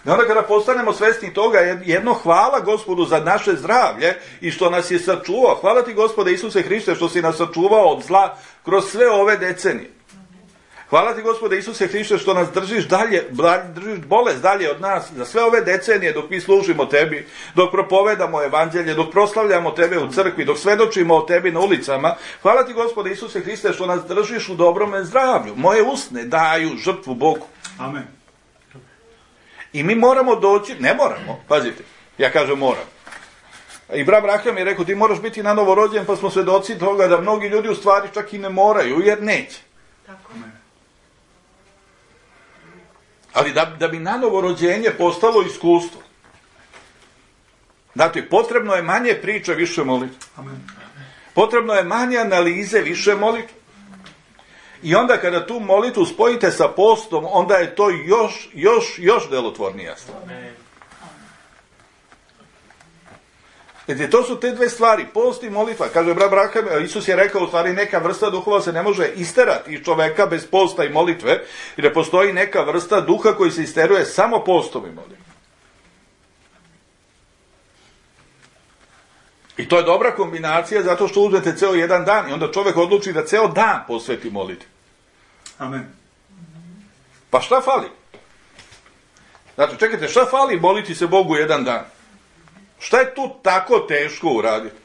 I onda kada postanemo svjesni toga, jedno hvala Gospodu za naše zdravlje i što nas je sačuvao. Hvala ti Gospode Isuse Hriste što si nas sačuvao od zla kroz sve ove decenije. Hvala ti Gospode Isuse Hriste što nas držiš dalje, držiš bolest dalje od nas za sve ove decenije dok mi služimo tebi, dok propovedamo evanđelje, dok proslavljamo tebe u crkvi, dok svedočimo o tebi na ulicama. Hvala ti Gospode Isuse Hriste što nas držiš u dobrome zdravlju. Moje usne daju žrtvu Bogu. Amen. I mi moramo doći, ne moramo, pazite, ja kažem moram. I brat Abraham je rekao ti moraš biti na novo rođen, pa smo svedoci toga da mnogi ljudi u stvari čak i ne moraju jer neće. Tako. Ali da, da bi na novo rođenje postalo iskustvo. Znate, potrebno je manje priče, više molitve. Potrebno je manje analize, više molitve. I onda kada tu molitvu spojite sa postom, onda je to još, još, još delotvornija stvar. Znači, to su te dve stvari, post i molitva. Kaže brat Abraham, Isus je rekao, u stvari neka vrsta duhova se ne može isterati iz čoveka bez posta i molitve, jer ne postoji neka vrsta duha koji se isteruje samo postom i molitvom. I to je dobra kombinacija zato što uzmete ceo jedan dan i onda čovjek odluči da ceo dan posveti molitvi. Amen. Pa šta fali? Znači, čekajte, šta fali moliti se Bogu jedan dan? Šta je tu tako teško uraditi?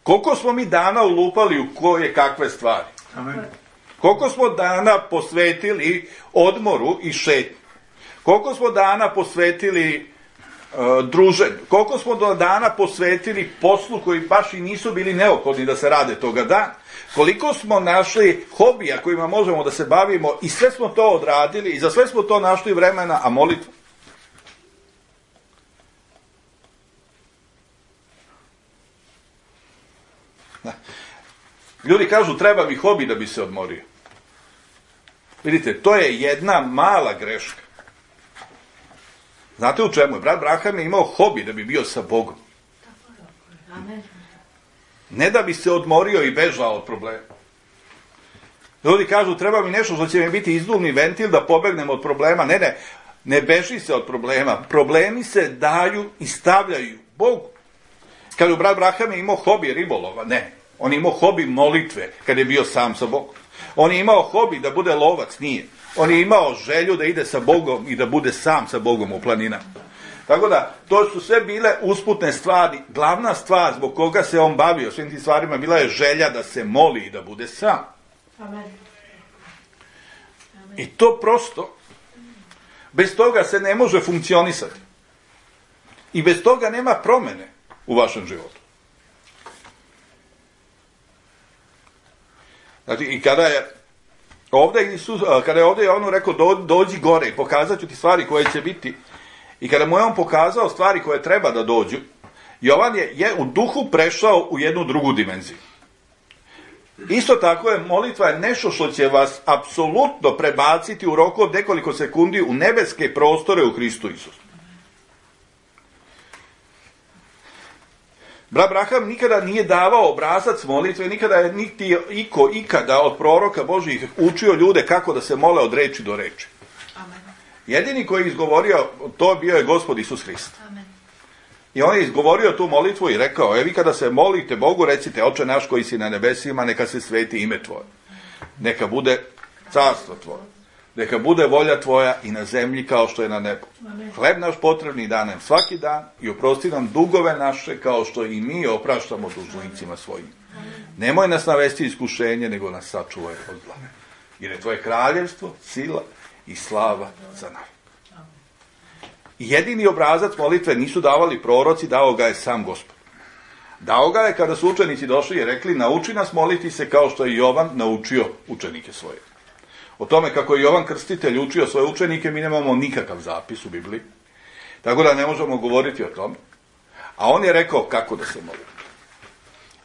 Koliko smo mi dana ulupali u koje kakve stvari? Amen. Koliko smo dana posvetili odmoru i šetnju? Koliko smo dana posvetili uh, druženju? Koliko smo do dana posvetili poslu koji baš i nisu bili neophodni da se rade toga dana? Koliko smo našli hobija kojima možemo da se bavimo i sve smo to odradili i za sve smo to našli vremena, a molitva? Ljudi kažu treba mi hobi da bi se odmorio. Vidite, to je jedna mala greška. Znate u čemu je? Brat Abraham je imao hobi da bi bio sa Bogom. Ne da bi se odmorio i bežao od problema. Ljudi kažu treba mi nešto što će mi biti izduvni ventil da pobegnem od problema. Ne, ne, ne beži se od problema. Problemi se daju i stavljaju Bogu. Kažu brat Abraham je imao hobi ribolova. Ne. On je imao hobi molitve kad je bio sam sa Bogom. On je imao hobi da bude lovac, nije. On je imao želju da ide sa Bogom i da bude sam sa Bogom u planinama. Tako da, to su sve bile usputne stvari. Glavna stvar zbog koga se on bavio svim tim stvarima bila je želja da se moli i da bude sam. Amen. I to prosto, bez toga se ne može funkcionisati. I bez toga nema promene u vašem životu. Znači, i kada je ovdje Isus, kada je ovdje on rekao do, dođi gore i pokazat ću ti stvari koje će biti, i kada mu je on pokazao stvari koje treba da dođu, Jovan je, je u duhu prešao u jednu drugu dimenziju. Isto tako je molitva je nešto što će vas apsolutno prebaciti u roku od nekoliko sekundi u nebeske prostore u Hristu Isusu. Brat Abraham nikada nije davao obrazac molitve, nikada je niti iko ikada od proroka Božjih učio ljude kako da se mole od reči do reči. Amen. Jedini koji je izgovorio to bio je Gospod Isus Hrist. Amen. I on je izgovorio tu molitvu i rekao, e vi kada se molite Bogu, recite, Oče naš koji si na nebesima, neka se sveti ime tvoje. Neka bude carstvo tvoje. Neka bude volja tvoja i na zemlji kao što je na nebu. Hleb naš potrebni daj nam svaki dan i oprosti nam dugove naše kao što i mi opraštamo dužnicima svojim. Nemoj nas navesti iskušenje, nego nas sačuvaj od zla. Jer je tvoje kraljevstvo, sila i slava za nas. I jedini obrazac molitve nisu davali proroci, dao ga je sam Gospod. Dao ga je kada su učenici došli i rekli, nauči nas moliti se kao što je Jovan naučio učenike svoje. O tome kako je Jovan Krstitelj učio svoje učenike, mi nemamo nikakav zapis u Bibliji. Tako da ne možemo govoriti o tome. A on je rekao kako da se moli.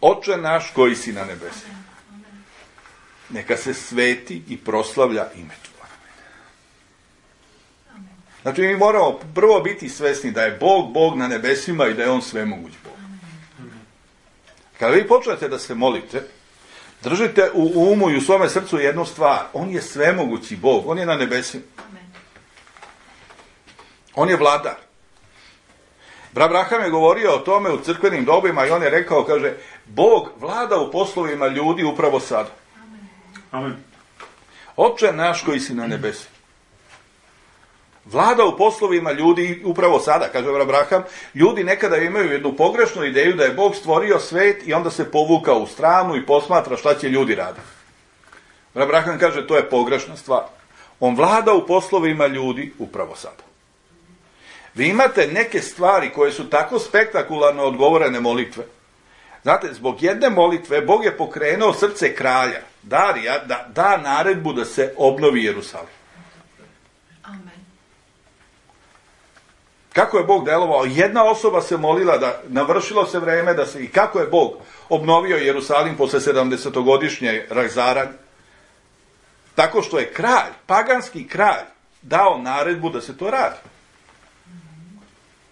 Oče naš koji si na nebesima, neka se sveti i proslavlja ime tvoje. Znači mi moramo prvo biti svesni da je Bog, Bog na nebesima i da je on svemoguć Bog. Kada vi počnete da se molite, držite u umu i u svome srcu jednu stvar. On je svemogući Bog, on je na nebesima. On je vladar. Abraham je govorio o tome u crkvenim dobima i on je rekao, kaže, Bog vlada u poslovima ljudi upravo sada. Amen. Oče naš koji si na nebesima. Vlada u poslovima ljudi upravo sada, kaže Abraham. Ljudi nekada imaju jednu pogrešnu ideju da je Bog stvorio svet i onda se povukao u stranu i posmatra šta će ljudi raditi. Abraham kaže, to je pogrešna stvar. On vlada u poslovima ljudi upravo sada. Vi imate neke stvari koje su tako spektakularno odgovorene molitve. Znate, zbog jedne molitve Bog je pokrenuo srce kralja, Darija, da da naredbu da se obnovi Jerusalim. Amen. Kako je Bog delovao? Jedna osoba se molila da navršilo se vreme da se, i kako je Bog obnovio Jerusalim posle sedamdesetogodišnje razaranja? Tako što je kralj, paganski kralj, dao naredbu da se to radi.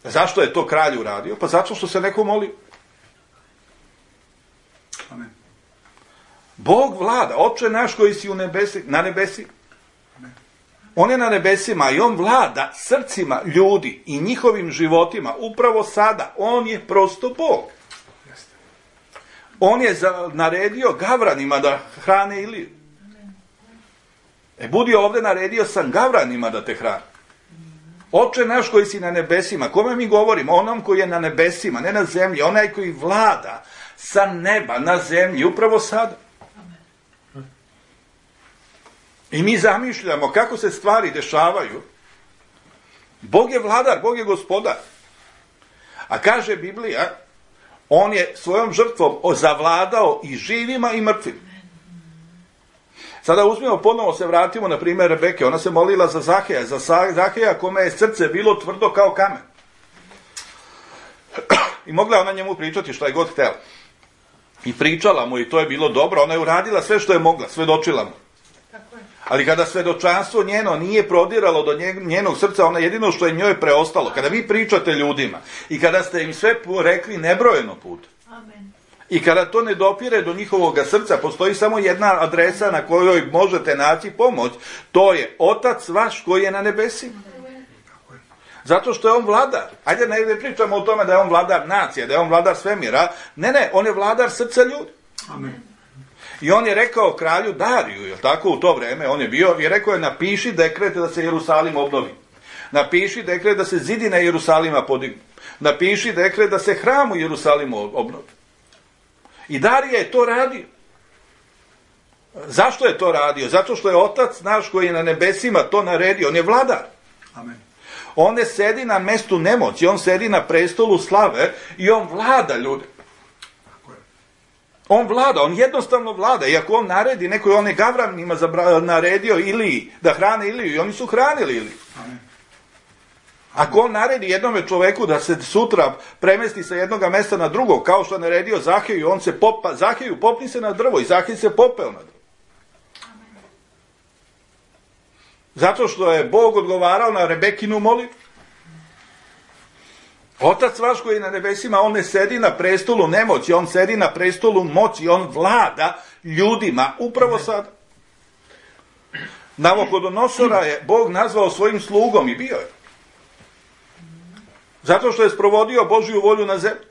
Zašto je to kralj uradio? Pa zato što se neko molio. Amen. Bog vlada, Oče naš koji si u nebesi, na nebesi. On je na nebesima i on vlada srcima ljudi i njihovim životima upravo sada. On je prosto Bog. On je za, naredio gavranima da hrane Iliju. E, budi ovdje, naredio sam gavranima da te hrane. Oče naš koji si na nebesima, kome mi govorimo? Onom koji je na nebesima, ne na zemlji, onaj koji vlada sa neba na zemlji, upravo sada. I mi zamišljamo kako se stvari dešavaju. Bog je vladar, Bog je gospodar. A kaže Biblija, on je svojom žrtvom zavladao i živima i mrtvima. Sada uzmimo, ponovo se vratimo na primjer Rebeke. Ona se molila za Zaheja, za Zaheja kome je srce bilo tvrdo kao kamen. I mogla ona njemu pričati šta je god htjela. I pričala mu i to je bilo dobro. Ona je uradila sve što je mogla, svedočila mu. Ali kada svedočanstvo njeno nije prodiralo do njenog srca, ona jedino što je njoj preostalo. Kada vi pričate ljudima i kada ste im sve rekli nebrojeno puta. Amen. I kada to ne dopire do njihovog srca, postoji samo jedna adresa na kojoj možete naći pomoć. To je Otac vaš koji je na nebesima. Zato što je on vladar. Ajde, ne pričamo o tome da je on vladar nacije, da je on vladar svemira. Ne, ne, on je vladar srca ljudi. Amen. I on je rekao kralju Dariju, jel tako, u to vreme, on je bio, i rekao je, napiši dekret da se Jerusalim obnovi. Napiši dekret da se zidine Jerusalima podignu. Napiši dekret da se hram u Jerusalimu obnovi. I Darija je to radio. Zašto je to radio? Zato što je Otac naš koji je na nebesima to naredio. On je vladar. Amen. On ne sedi na mestu nemoći, on sedi na prestolu slave i on vlada ljude. On vlada, on jednostavno vlada. Iako on naredi, neko je on je gavranima naredio Iliji, da hrane Iliju i oni su hranili Iliju. Amen. Ako on naredi jednome čoveku da se sutra premesti sa jednoga mesta na drugo, kao što je naredio Zaheju, on se popa, Zaheju popni se na drvo i Zahej se popeo na drvo. Zato što je Bog odgovarao na Rebekinu molitvu. Otac vaš koji je na nebesima, on ne sedi na prestolu nemoći, on sedi na prestolu moći, on vlada ljudima upravo sada. Navukodonosora je Bog nazvao svojim slugom i bio je. Zato što je sprovodio Božju volju na zemlji.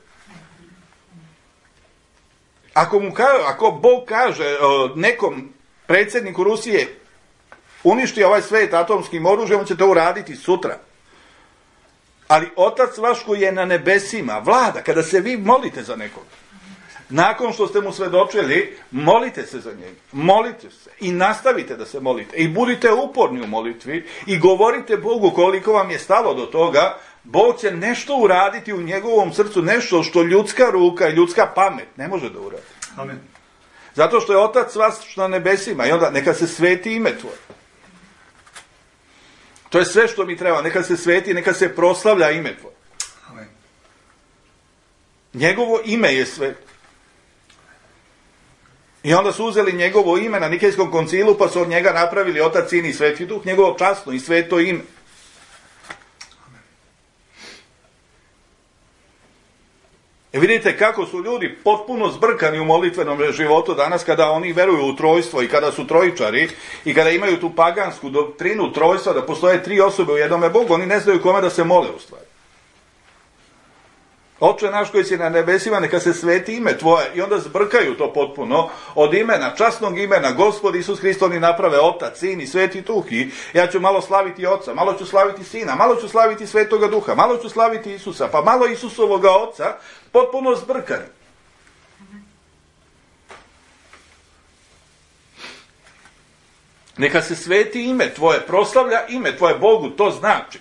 Ako, mu ka, ako Bog kaže nekom predsjedniku Rusije uništi ovaj svijet atomskim oružjem, on će to uraditi sutra. Ali Otac vaš koji je na nebesima vlada. Kada se vi molite za nekog, nakon što ste mu svedočili, molite se za njega. Molite se i nastavite da se molite. I budite uporni u molitvi i govorite Bogu koliko vam je stalo do toga. Bog će nešto uraditi u njegovom srcu, nešto što ljudska ruka i ljudska pamet ne može da uradi. Amen. Zato što je Otac vaš na nebesima i onda neka se sveti ime tvoje. To je sve što mi treba. Neka se sveti, neka se proslavlja ime tvoje. Amen. Njegovo ime je sveto. I onda su uzeli njegovo ime na Nikejskom koncilu, pa su od njega napravili Otac, Sin i Sveti Duh, njegovo časno i sveto ime. E vidite kako su ljudi potpuno zbrkani u molitvenom životu danas kada oni veruju u trojstvo i kada su trojičari i kada imaju tu pagansku doktrinu trojstva da postoje tri osobe u jednome Bogu, oni ne znaju kome da se mole u stvari. Oče naš koji si na nebesima, neka se sveti ime tvoje. I onda zbrkaju to potpuno od imena, časnog imena, Gospod Isus Hrist, oni naprave Otac, Sin i Sveti Duh. I ja ću malo slaviti Oca, malo ću slaviti Sina, malo ću slaviti Svetoga Duha, malo ću slaviti Isusa, pa malo Isusovoga Oca, potpuno zbrkani. Neka se sveti ime tvoje, proslavlja ime tvoje Bogu, to znači.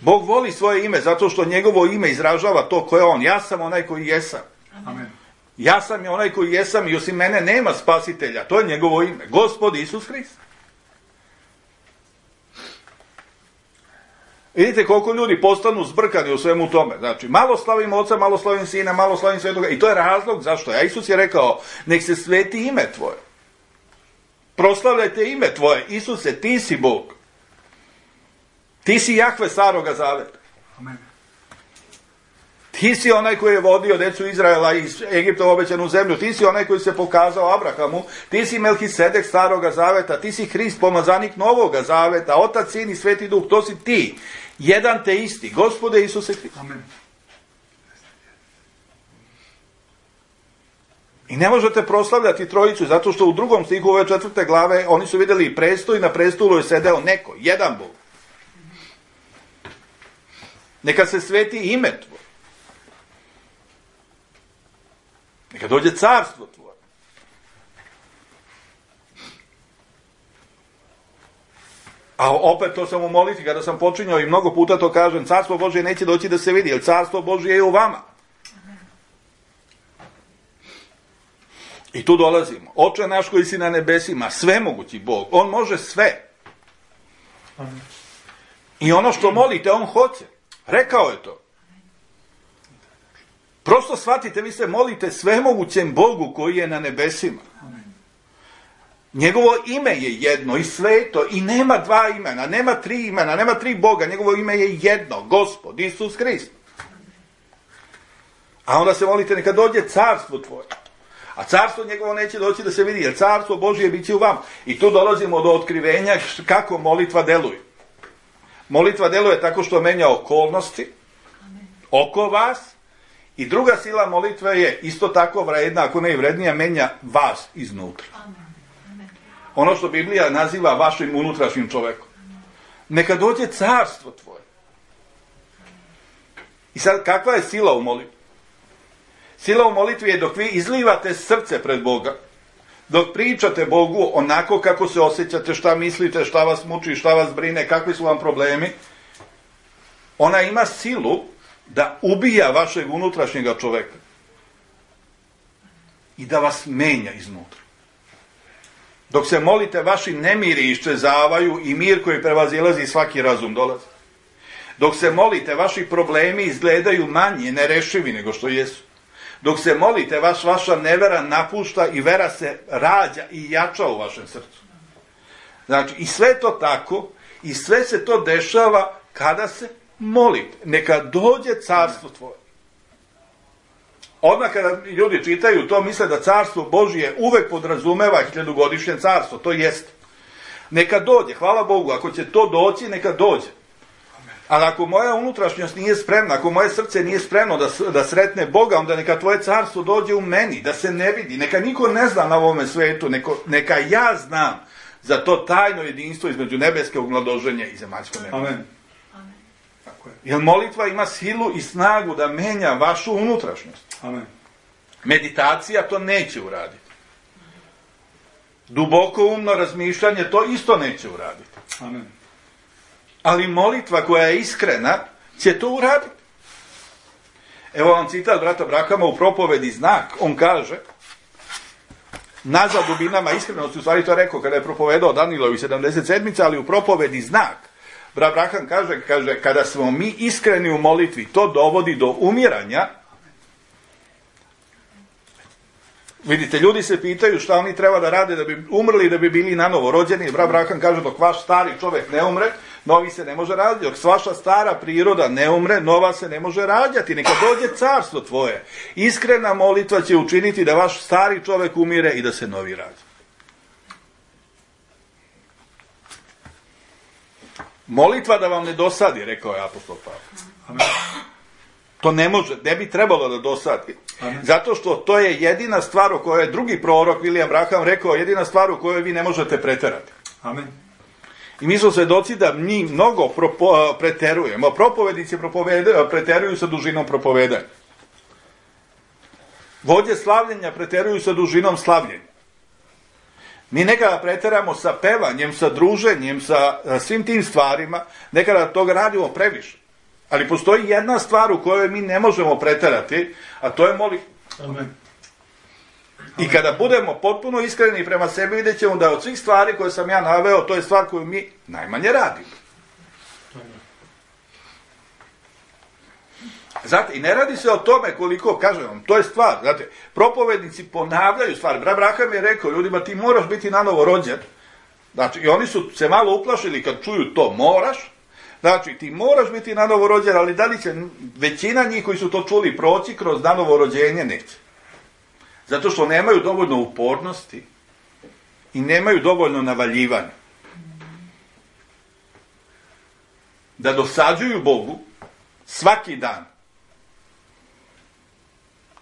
Bog voli svoje ime zato što njegovo ime izražava to ko je on. Ja sam onaj koji jesam. Amen. Ja sam onaj koji jesam i osim mene nema spasitelja. To je njegovo ime. Gospod Isus Hrist. Vidite koliko ljudi postanu zbrkani u svemu tome. Znači, malo slavim Oca, malo slavim Sina, malo slavim Svetoga. I to je razlog zašto. A Isus je rekao, nek se sveti ime tvoje. Proslavljajte ime tvoje. Isuse, ti si Bog. Ti si Jahve staroga zaveta. Amen. Ti si onaj koji je vodio decu Izraela iz Egipta u obećanu zemlju. Ti si onaj koji se pokazao Abrahamu. Ti si Melhisedek staroga zaveta. Ti si Hrist, pomazanik novoga zaveta. Otac, Sin i Sveti Duh. To si ti. Jedan te isti. Gospode Isuse Hrist. Amen. I ne možete proslavljati trojicu, zato što u drugom stihu ove četvrte glave oni su vidjeli prestol i na prestolu je sedeo neko. Jedan Bog. Neka se sveti ime tvoje. Neka dođe carstvo tvoje. A opet to sam u molitvi, kada sam počinjao i mnogo puta to kažem, carstvo Božje neće doći da se vidi, jer carstvo Božje je u vama. I tu dolazimo. Oče naš koji si na nebesima, svemogući Bog, on može sve. I ono što molite, on hoće. Rekao je to. Prosto shvatite, vi se molite svemogućem Bogu koji je na nebesima. Njegovo ime je jedno i sveto i nema dva imena, nema tri imena, nema tri Boga, njegovo ime je jedno, Gospod, Isus Hrist. A onda se molite neka dođe carstvo tvoje. A carstvo njegovo neće doći da se vidi, jer carstvo Božje bit će u vam. I tu dolazimo do otkrivenja kako molitva deluje. Molitva deluje tako što menja okolnosti oko vas i druga sila molitve je isto tako vredna, ako ne i vrednija, menja vas iznutra. Ono što Biblija naziva vašim unutrašnjim čovekom. Neka dođe carstvo tvoje. I sad, kakva je sila u molitvi? Sila u molitvi je dok vi izlivate srce pred Boga, dok pričate Bogu onako kako se osjećate, šta mislite, šta vas muči, šta vas brine, kakvi su vam problemi, ona ima silu da ubija vašeg unutrašnjega čoveka i da vas menja iznutra. Dok se molite, vaši nemiri iščezavaju i mir koji prevazilazi svaki razum dolazi. Dok se molite, vaši problemi izgledaju manje nerešivi nego što jesu. Dok se molite, vaš, vaša nevera napušta i vera se rađa i jača u vašem srcu. Znači, i sve to tako, i sve se to dešava kada se molite. Neka dođe carstvo tvoje. Odmah kada ljudi čitaju to, misle da carstvo Božje uvek podrazumeva hiljadugodišnje carstvo. To jest. Neka dođe, hvala Bogu, ako će to doći, neka dođe. Ali ako moja unutrašnjost nije spremna, ako moje srce nije spremno da, da sretne Boga, onda neka tvoje carstvo dođe u meni, da se ne vidi. Neka niko ne zna na ovome svetu, neko, neka ja znam za to tajno jedinstvo između nebeskog mladoženja i zemaljskog neba. Amen. Tako je. Jer molitva ima silu i snagu da menja vašu unutrašnjost. Amen. Meditacija to neće uraditi. Duboko umno razmišljanje to isto neće uraditi. Amen. Ali molitva koja je iskrena će to uraditi. Evo vam citat brata Brahama u propovedi Znak. On kaže, nazad dubinama iskrenosti, u stvari to je rekao kada je propovedao Danilovi sedamdeset sedmice, ali u propovedi Znak. Brat Braham kaže, kaže, kada smo mi iskreni u molitvi, to dovodi do umiranja. Vidite, ljudi se pitaju šta oni treba da rade da bi umrli, da bi bili nanovo rođeni. Brat Braham kaže, dok vaš stari čovjek ne umre, novi se ne može rađati. Dok vaša stara priroda ne umre, nova se ne može rađati. Neka dođe carstvo tvoje. Iskrena molitva će učiniti da vaš stari čovjek umire i da se novi rađa. Molitva da vam ne dosadi, rekao je apostol Pavle. To ne može, ne bi trebalo da dosadi. Amen. Zato što to je jedina stvar o kojoj je drugi prorok William Branham rekao, jedina stvar u kojoj vi ne možete preterati. Amen. I mi smo svedoci da mi mnogo propo, preterujemo. Propovednici preteruju sa dužinom propovedanja. Vođe slavljenja preteruju sa dužinom slavljenja. Mi nekada preteramo sa pevanjem, sa druženjem, sa svim tim stvarima, nekada toga radimo previše. Ali postoji jedna stvar u kojoj mi ne možemo preterati, a to je molitva. Amen. I kada budemo potpuno iskreni prema sebi, vidjet ćemo da od svih stvari koje sam ja naveo, to je stvar koju mi najmanje radimo. Znate, i ne radi se o tome koliko, kažem vam, to je stvar. Znate, propovednici ponavljaju stvari. Brat Braham je rekao ljudima, ti moraš biti nanovo rođen. Znači, i oni su se malo uplašili kad čuju to moraš. Znači, ti moraš biti nanovo rođen, ali da li će većina njih koji su to čuli proći kroz nanovo rođenje, neće. Zato što nemaju dovoljno upornosti i nemaju dovoljno navaljivanja. Da dosađuju Bogu svaki dan.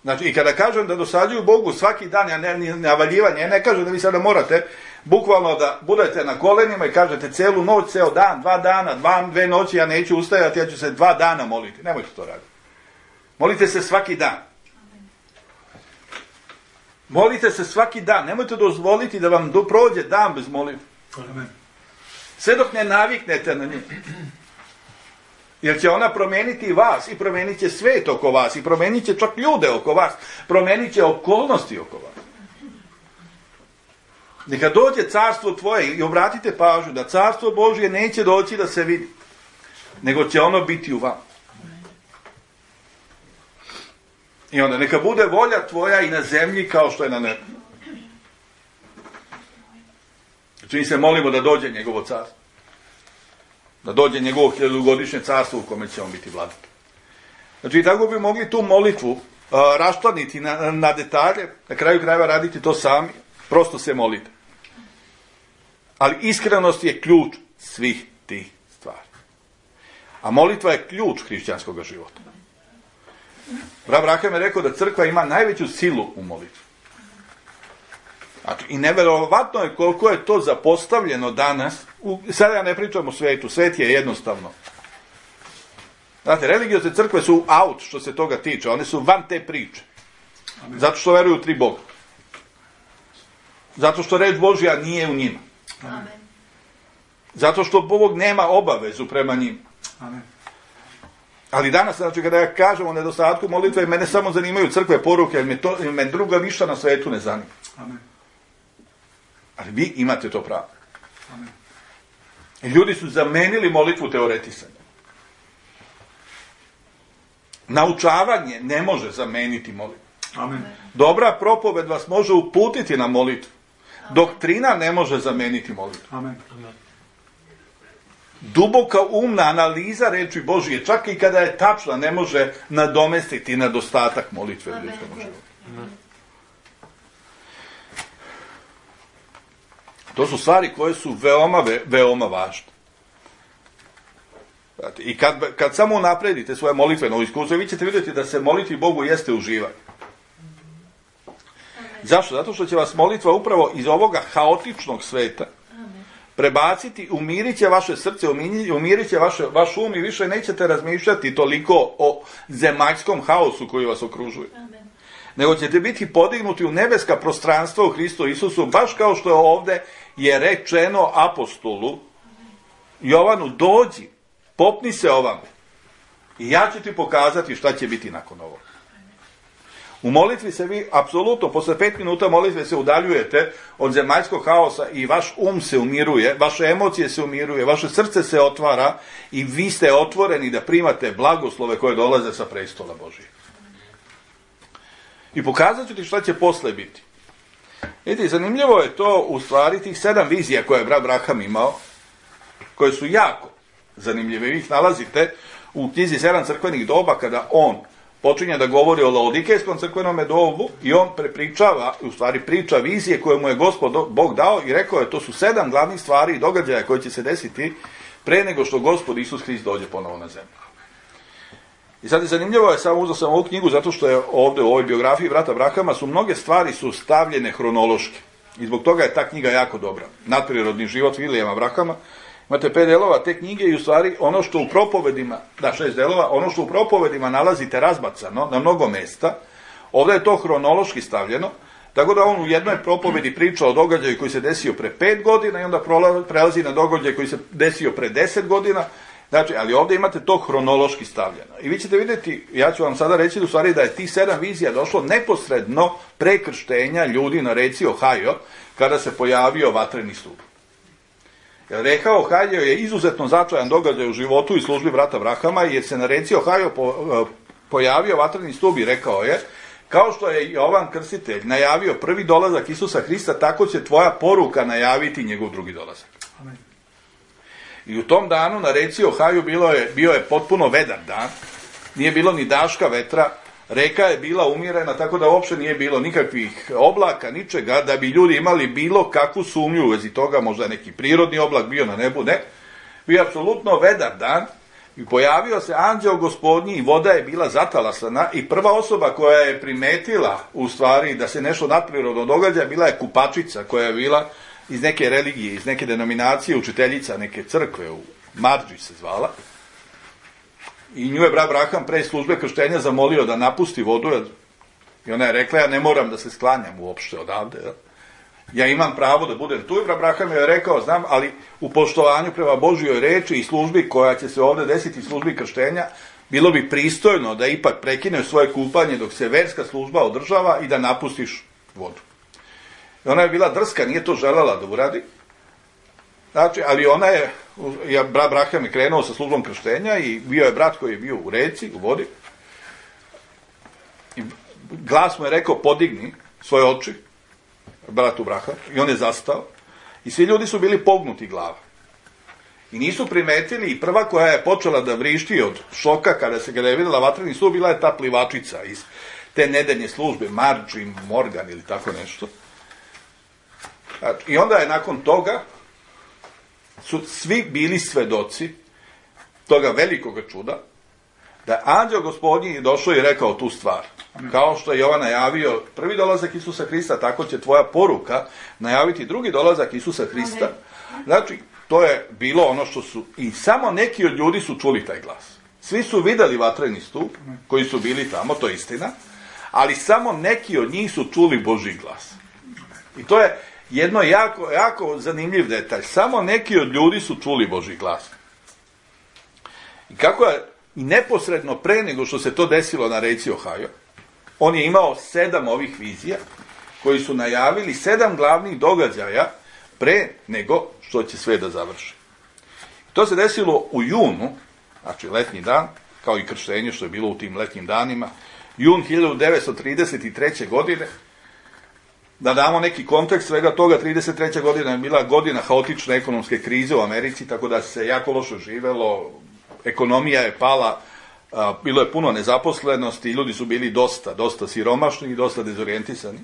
Znači, i kada kažem da dosađuju Bogu svaki dan, ja ne, navaljivanje, ja ne kažem da vi sada morate bukvalno da budete na kolenima i kažete celu noć, ceo dan, dva dana, dva, dve noći, ja neću ustajati, ja ću se dva dana moliti. Nemojte to raditi. Molite se svaki dan. Molite se svaki dan. Nemojte dozvoliti da vam do prođe dan bez molitve. Sve dok ne naviknete na nju. Jer će ona promeniti vas i promenit će svet oko vas i promenit će čak ljude oko vas. Promenit će okolnosti oko vas. Neka dođe carstvo tvoje i obratite pažnju da carstvo Božje neće doći da se vidi, nego će ono biti u vama. I onda neka bude volja tvoja i na zemlji kao što je na nebu. Znači mi se molimo da dođe njegovo carstvo. Da dođe njegovo hiljadugodišnje carstvo u kome će on biti vladar. Znači tako bi mogli tu molitvu uh, raščlaniti na, na detalje, na kraju krajeva raditi to sami, prosto se molite. Ali iskrenost je ključ svih tih stvari. A molitva je ključ hrišćanskog života. Brat Braham je rekao da crkva ima najveću silu u molitvi. Znači, i neverovatno je koliko je to zapostavljeno danas. U, sada ja ne pričam o svetu, svet je jednostavno. Znate, religiozne crkve su out što se toga tiče, one su van te priče. Amen. Zato što veruju u tri Boga. Zato što reč Božja nije u njima. Amen. Zato što Bog nema obavezu prema njima. Amen. Ali danas, znači, kada ja kažem o nedostatku molitve, mene samo zanimaju crkve poruke, jer me, to, jer me druga ništa na svetu ne zanima. Amen. Ali vi imate to pravo. Amen. I ljudi su zamenili molitvu teoretisanja. Naučavanje ne može zameniti molitvu. Amen. Dobra propoved vas može uputiti na molitvu. Amen. Doktrina ne može zameniti molitvu. Amen. Amen. Duboka umna analiza reči Božije, čak i kada je tačna, ne može nadomestiti nedostatak molitve u ljudskom životu. To su stvari koje su veoma, veoma važne. I kad, kad samo napredite svoje molitveno iskustvo, vi ćete vidjeti da se moliti Bogu jeste uživanje. Zašto? Zato što će vas molitva upravo iz ovoga haotičnog sveta prebaciti, umirit će vaše srce, umirit će vaše, vaš um i više nećete razmišljati toliko o zemaljskom haosu koji vas okružuje. Amen. Nego ćete biti podignuti u nebeska prostranstva u Hristu Isusu, baš kao što je ovdje je rečeno apostolu Jovanu, dođi, popni se ovamo i ja ću ti pokazati šta će biti nakon ovoga. U molitvi se vi, apsolutno, posle pet minuta molitve se udaljujete od zemaljskog haosa i vaš um se umiruje, vaše emocije se umiruje, vaše srce se otvara i vi ste otvoreni da primate blagoslove koje dolaze sa prestola Božije. I pokazat ću ti šta će posle biti. Vidite, zanimljivo je to u stvari tih sedam vizija koje je brat Braham imao, koje su jako zanimljive. Vi ih nalazite u knjizi sedam crkvenih doba kada on počinje da govori o Laodikejskom crkvenome dobu i on prepričava, u stvari priča vizije koje mu je Gospod Bog dao i rekao je to su sedam glavnih stvari i događaja koje će se desiti pre nego što Gospod Isus Hrist dođe ponovo na zemlju. I sad je zanimljivo, je samo uzeo sam ovu knjigu zato što je ovdje u ovoj biografiji brata Brahama su mnoge stvari su stavljene hronološki i zbog toga je ta knjiga jako dobra. Nadprirodni život Vilijama Brahama. Imate pet delova te knjige i u stvari ono što u propovedima, da šest delova, ono što u propovedima nalazite razbacano na mnogo mesta, ovdje je to hronološki stavljeno, tako da on u jednoj propovedi priča o događaju koji se desio pre pet godina i onda prelazi na događaj koji se desio pre deset godina, znači, ali ovdje imate to hronološki stavljeno. I vi ćete vidjeti, ja ću vam sada reći u stvari da je tih sedam vizija došlo neposredno pre krštenja ljudi na reci Ohio, kada se pojavio vatreni stup. Jer reka Ohio je izuzetno značajan događaj u životu i službi brata Brahama, jer se na reci Ohio po, pojavio vatreni stup i rekao je, kao što je Jovan Krstitelj najavio prvi dolazak Isusa Hrista, tako će tvoja poruka najaviti njegov drugi dolazak. Amen. I u tom danu na reci Ohio bilo je, bio je potpuno vedar dan, nije bilo ni daška vetra, reka je bila umirena, tako da uopšte nije bilo nikakvih oblaka, ničega, da bi ljudi imali bilo kakvu sumnju u vezi toga, možda neki prirodni oblak bio na nebu, ne. Bio je apsolutno vedar dan i pojavio se anđeo Gospodnji i voda je bila zatalasana i prva osoba koja je primetila u stvari da se nešto nadprirodno događa bila je kupačica koja je bila iz neke religije, iz neke denominacije, učiteljica neke crkve, u Marđi se zvala. I nju je brat Braham pre službe krštenja zamolio da napusti vodu i ona je rekla, ja ne moram da se sklanjam uopšte odavde. Ja imam pravo da budem tu i brat Braham je rekao, znam, ali u poštovanju prema Božjoj reči i službi koja će se ovdje desiti, službi krštenja, bilo bi pristojno da ipak prekineš svoje kupanje dok se verska služba održava i da napustiš vodu. I ona je bila drska, nije to želela da uradi. Znači, ali ona je, ja, brat Braham je krenuo sa službom krštenja i bio je brat koji je bio u reci, u vodi. I glas mu je rekao, podigni svoje oči, bratu Braham, i on je zastao. I svi ljudi su bili pognuti glava. I nisu primetili, i prva koja je počela da vrišti od šoka kada se kada je vidjela vatreni stup, bila je ta plivačica iz te nedeljne službe, Marđi Morgan ili tako nešto. I onda je nakon toga su svi bili svedoci toga velikog čuda, da je anđeo Gospodnji došao i rekao tu stvar. Kao što je Jovan najavio prvi dolazak Isusa Hrista, tako će tvoja poruka najaviti drugi dolazak Isusa Hrista. Znači, to je bilo ono što su, i samo neki od ljudi su čuli taj glas. Svi su vidjeli vatreni stup, koji su bili tamo, to je istina, ali samo neki od njih su čuli Božji glas. I to je jedno jako, jako zanimljiv detalj. Samo neki od ljudi su čuli Božji glas. I kako je, i neposredno pre nego što se to desilo na reci Ohio, on je imao sedam ovih vizija, koji su najavili sedam glavnih događaja pre nego što će sve da završi. To se desilo u junu, znači letnji dan, kao i krštenje što je bilo u tim letnjim danima, jun hiljadu devetsto trideset treće. godine. Da damo neki kontekst svega toga, trideset treća. godina je bila godina haotične ekonomske krize u Americi, tako da se jako loše živelo, ekonomija je pala, bilo je puno nezaposlenosti, ljudi su bili dosta, dosta siromašni i dosta dezorijentisani.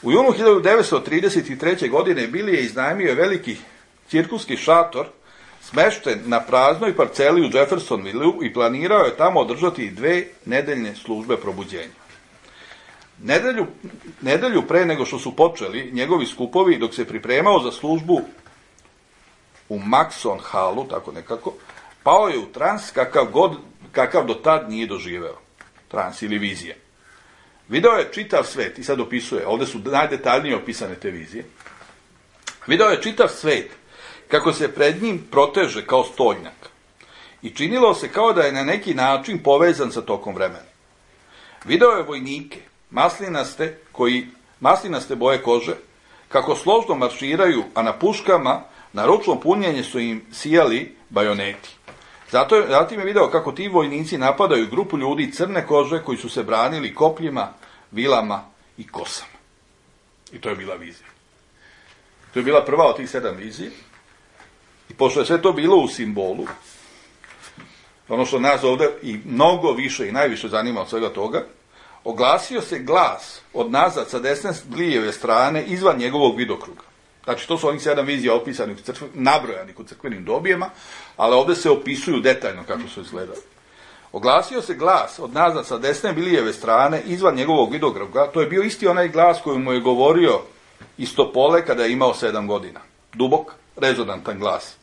U junu hiljadu devetsto trideset treće. godine Bili je iznajmio veliki cirkuski šator smešten na praznoj parceli u Jeffersonvilleu i planirao je tamo održati dve nedeljne službe probuđenja. Nedelju, nedelju pre nego što su počeli njegovi skupovi, dok se pripremao za službu u Maxon Hallu, tako nekako, pao je u trans kakav, god, kakav do tad nije doživeo. Trans ili vizija. Video je čitav svet, i sad opisuje, ovde su najdetaljnije opisane te vizije. Video je čitav svet, kako se pred njim proteže kao stolnjak. I činilo se kao da je na neki način povezan sa tokom vremena. Video je vojnike, maslinaste, koji, maslinaste boje kože, kako složno marširaju, a na puškama, na ručno punjenje su im sijali bajoneti. Zato je, zatim je video kako ti vojnici napadaju grupu ljudi crne kože koji su se branili kopljima, vilama i kosama. I to je bila vizija. To je bila prva od tih sedam vizija. I pošto je sve to bilo u simbolu, ono što nas ovde i mnogo više i najviše zanima od svega toga, oglasio se glas od nazad sa desne Glijeve strane izvan njegovog vidokruga. Znači, to su onih sedam vizija opisanih, nabrojanih u crkvenim dobijema, ali ovde se opisuju detaljno kako su izgledali. Oglasio se glas od nazad sa desne Bilijeve strane izvan njegovog vidokruga. To je bio isti onaj glas koji mu je govorio Istopole kada je imao sedam godina. Dubok, rezonantan glas.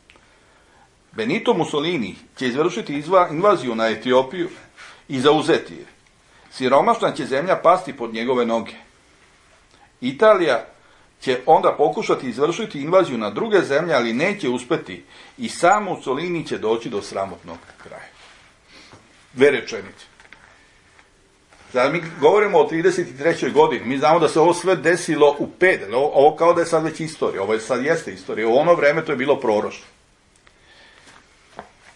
Benito Mussolini će izvršiti izva, invaziju na Etiopiju i zauzeti je. Siromašna će zemlja pasti pod njegove noge. Italija će onda pokušati izvršiti invaziju na druge zemlje, ali neće uspeti i sam Mussolini će doći do sramotnog kraja. Dve rečenice. Sada mi govorimo o trideset trećoj godini, mi znamo da se ovo sve desilo u pet, ovo, ovo kao da je sad već istorija, ovo je sad jeste istorija, u ono vreme to je bilo proroštvo.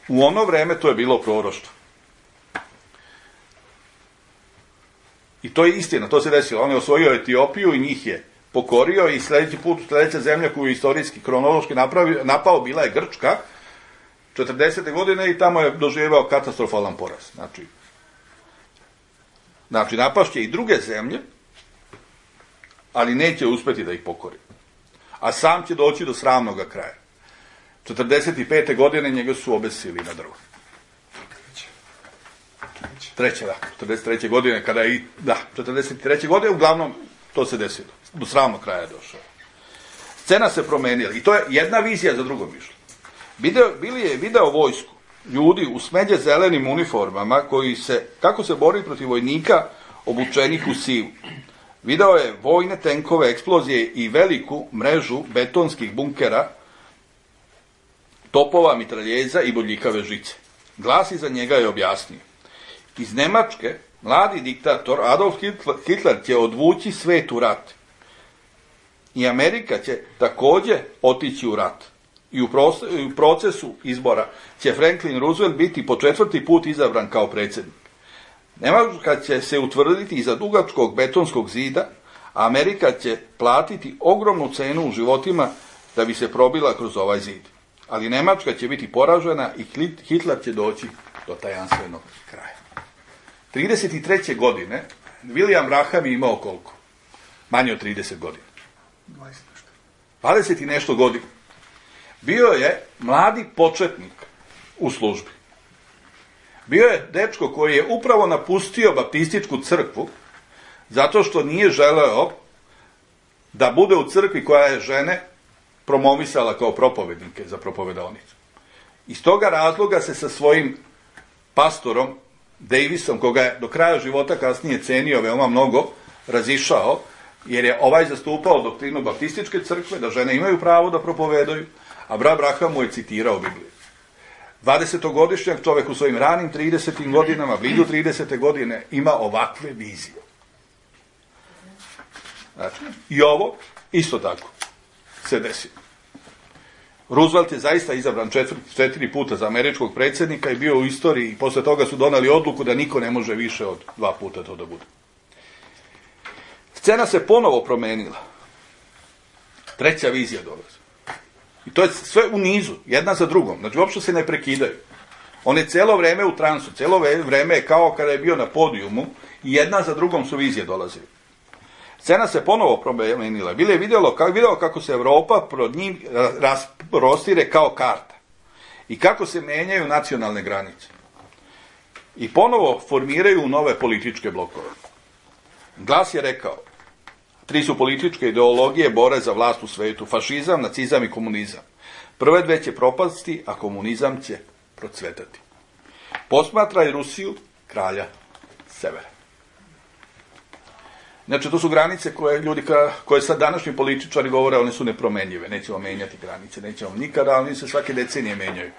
U ono vreme to je bilo proroštvo. I to je istina, to se desilo. On je osvojio Etiopiju i njih je pokorio i sledeći put, sledeća zemlja koju je istorijski, kronološki napravio, napao bila je Grčka, četrdesete godine i tamo je doživeo katastrofalan poraz. Znači, znači napašće i druge zemlje, ali neće uspeti da ih pokori. A sam će doći do sramnog kraja. četrdeset pete godine njega su obesili na drvo. Treće, da, četrdeset treće godine, kada je i, da, četrdeset treće godine, uglavnom, to se desilo. Do sramnog kraja je došao. Scena se promenila i to je jedna vizija za drugom išla. Video, bili je video vojsku, ljudi u smeđe zelenim uniformama, koji se, kako se bori protiv vojnika obučenih u sivu. Video je vojne tenkove, eksplozije i veliku mrežu betonskih bunkera, topova, mitraljeza i bodljikave žice. Glas iza njega je objasnio. Iz Nemačke, mladi diktator Adolf Hitler će odvući svet u rat. I Amerika će takođe otići u rat. I u procesu izbora će Franklin Roosevelt biti po četvrti put izabran kao predsjednik. Nemačka će se utvrditi iza dugačkog betonskog zida, a Amerika će platiti ogromnu cenu u životima da bi se probila kroz ovaj zid. Ali Nemačka će biti poražena i Hitler će doći do tajanstvenog kraja. trideset treće godine William Graham je imao koliko? Manje od trideset godina. dvadeset i nešto godina. Bio je mladi početnik u službi. Bio je dečko koji je upravo napustio baptističku crkvu zato što nije želeo da bude u crkvi koja je žene promovisala kao propovednike za propovedalnicu. Iz toga razloga se sa svojim pastorom Davisom, koga je do kraja života kasnije cenio veoma mnogo, razišao, jer je ovaj zastupao doktrinu baptističke crkve, da žene imaju pravo da propovedaju, a brat Braham mu je citirao Bibliju. dvadesetogodišnjak čovek u svojim ranim tridesetim godinama, blizu tridesete godine, ima ovakve vizije. Znači, i ovo isto tako se desilo. Roosevelt je zaista izabran četiri, četiri puta za američkog predsjednika i bio u istoriji i posle toga su donali odluku da niko ne može više od dva puta to da bude. Scena se ponovo promenila. Treća vizija dolazi. I to je sve u nizu, jedna za drugom. Znači, uopšte se ne prekidaju. On je celo vreme u transu, celo vreme je kao kada je bio na podijumu i jedna za drugom su vizije dolazile. Scena se ponovo promenila. Bile je vidjelo, kako, vidjelo kako se Evropa pred njim prostire kao karta. i kako se menjaju nacionalne granice. I ponovo formiraju nove političke blokove. Glas je rekao, tri su političke ideologije bore za vlast u svetu, fašizam, nacizam i komunizam. Prve dve će propasti, a komunizam će procvetati. Posmatraj Rusiju, kralja severa. Znači, to su granice koje ljudi, koje sad današnji političari govore, one su nepromenjive, nećemo menjati granice, nećemo nikada, ali oni se svake decenije menjaju.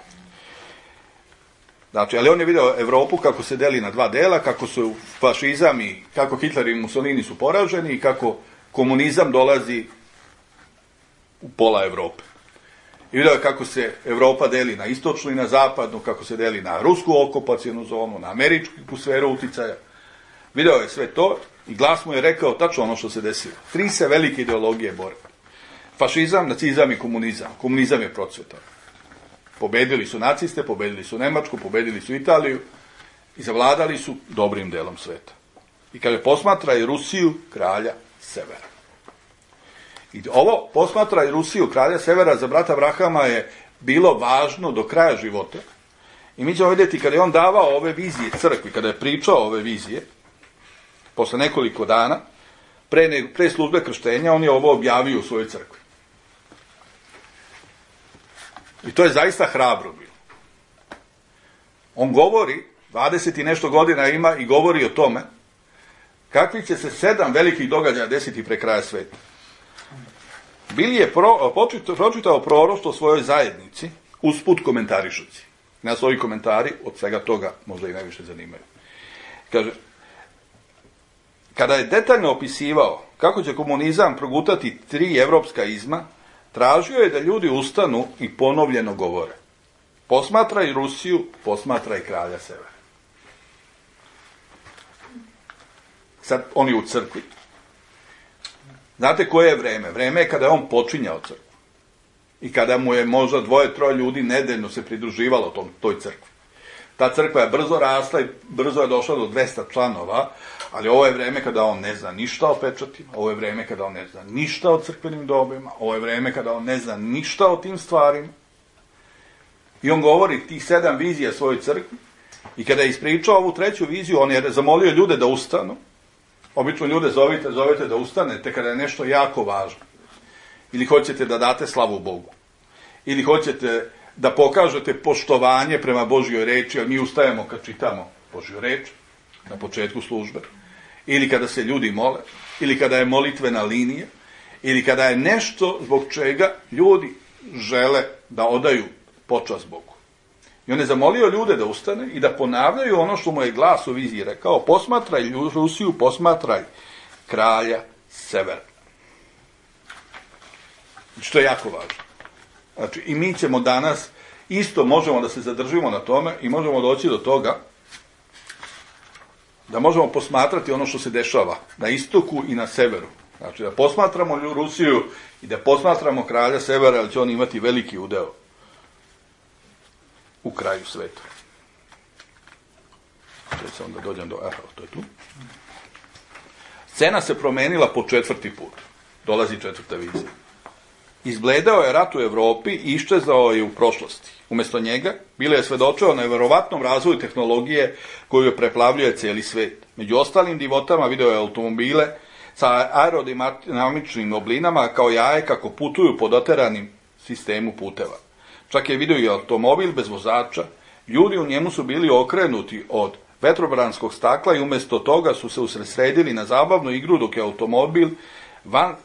Znači, ali on je video Evropu kako se deli na dva dela, kako su fašizam i kako Hitler i Mussolini su poraženi i kako komunizam dolazi u pola Evrope. I video je kako se Evropa deli na istočnu i na zapadnu, kako se deli na rusku okupacijonu zonu, na američku sferu uticaja. Video je sve to i glas mu je rekao tačno ono što se desilo. Tri se velike ideologije bore. Fašizam, nacizam i komunizam. Komunizam je procvetao. Pobedili su naciste, pobedili su Nemačku, pobedili su Italiju i zavladali su dobrim delom sveta. I kada posmatra i Rusiju, kralja severa. I ovo posmatra i Rusiju, kralja severa, za brata Abrahama je bilo važno do kraja života. I mi ćemo vidjeti kada je on davao ove vizije crkvi, kada je pričao ove vizije, posle nekoliko dana, pre, ne, pre službe krštenja, on je ovo objavio u svojoj crkvi. I to je zaista hrabro bilo. On govori, dvadeset i nešto godina ima i govori o tome kakvi će se sedam velikih događaja desiti pre kraja sveta. Bili je pro, počito, pročitao proroštvo svojoj zajednici, usput komentarišući. Nas ovi komentari od svega toga možda i najviše zanimaju. Kaže, kada je detaljno opisivao kako će komunizam progutati tri evropska izma, tražio je da ljudi ustanu i ponovljeno govore. Posmatraj Rusiju, posmatraj kralja severa. Sad, on je u crkvi. Znate koje je vreme? Vreme je kada je on počinjao crkvu. I kada mu je možda dvoje, troje ljudi nedeljno se pridruživalo tom, toj crkvi. Ta crkva je brzo rasla i brzo je došla do dvesta članova, ali ovo je vreme kada on ne zna ništa o pečatima, ovo je vreme kada on ne zna ništa o crkvenim dobima, ovo je vreme kada on ne zna ništa o tim stvarima. I on govori tih sedam vizija svojoj crkvi i kada je ispričao ovu treću viziju, on je zamolio ljude da ustanu. Obično ljude zovite, zovete da ustanete kada je nešto jako važno. Ili hoćete da date slavu Bogu. Ili hoćete da pokažete poštovanje prema Božjoj reči, jer mi ustajemo kad čitamo Božju reč na početku službe. Ili kada se ljudi mole. Ili kada je molitvena linija. Ili kada je nešto zbog čega ljudi žele da odaju počast Bogu. I on je zamolio ljude da ustane i da ponavljaju ono što mu je glas u viziji rekao. Posmatraj Rusiju, posmatraj kralja severa. Što je jako važno. Znači, i mi ćemo danas, isto možemo da se zadržimo na tome i možemo doći do toga da možemo posmatrati ono što se dešava na istoku i na severu. Znači, da posmatramo Rusiju i da posmatramo kralja severa, ali će on imati veliki udeo u kraju sveta. Sada se onda dođem do... Aha, to je tu. Scena se promenila po četvrti put. Dolazi četvrta vizija. Izbledao je rat u Evropi i iščezao je u prošlosti. Umjesto njega, bilo je svedočeo na neverovatnom razvoju tehnologije koju preplavljuje cijeli svet. Među ostalim divotama video je automobile sa aerodinamičnim oblinama kao jaje kako putuju po doteranim sistemu puteva. Čak je vidio i automobil bez vozača. Ljudi u njemu su bili okrenuti od vetrobranskog stakla i umjesto toga su se usredsredili na zabavnu igru dok je automobil van, uh,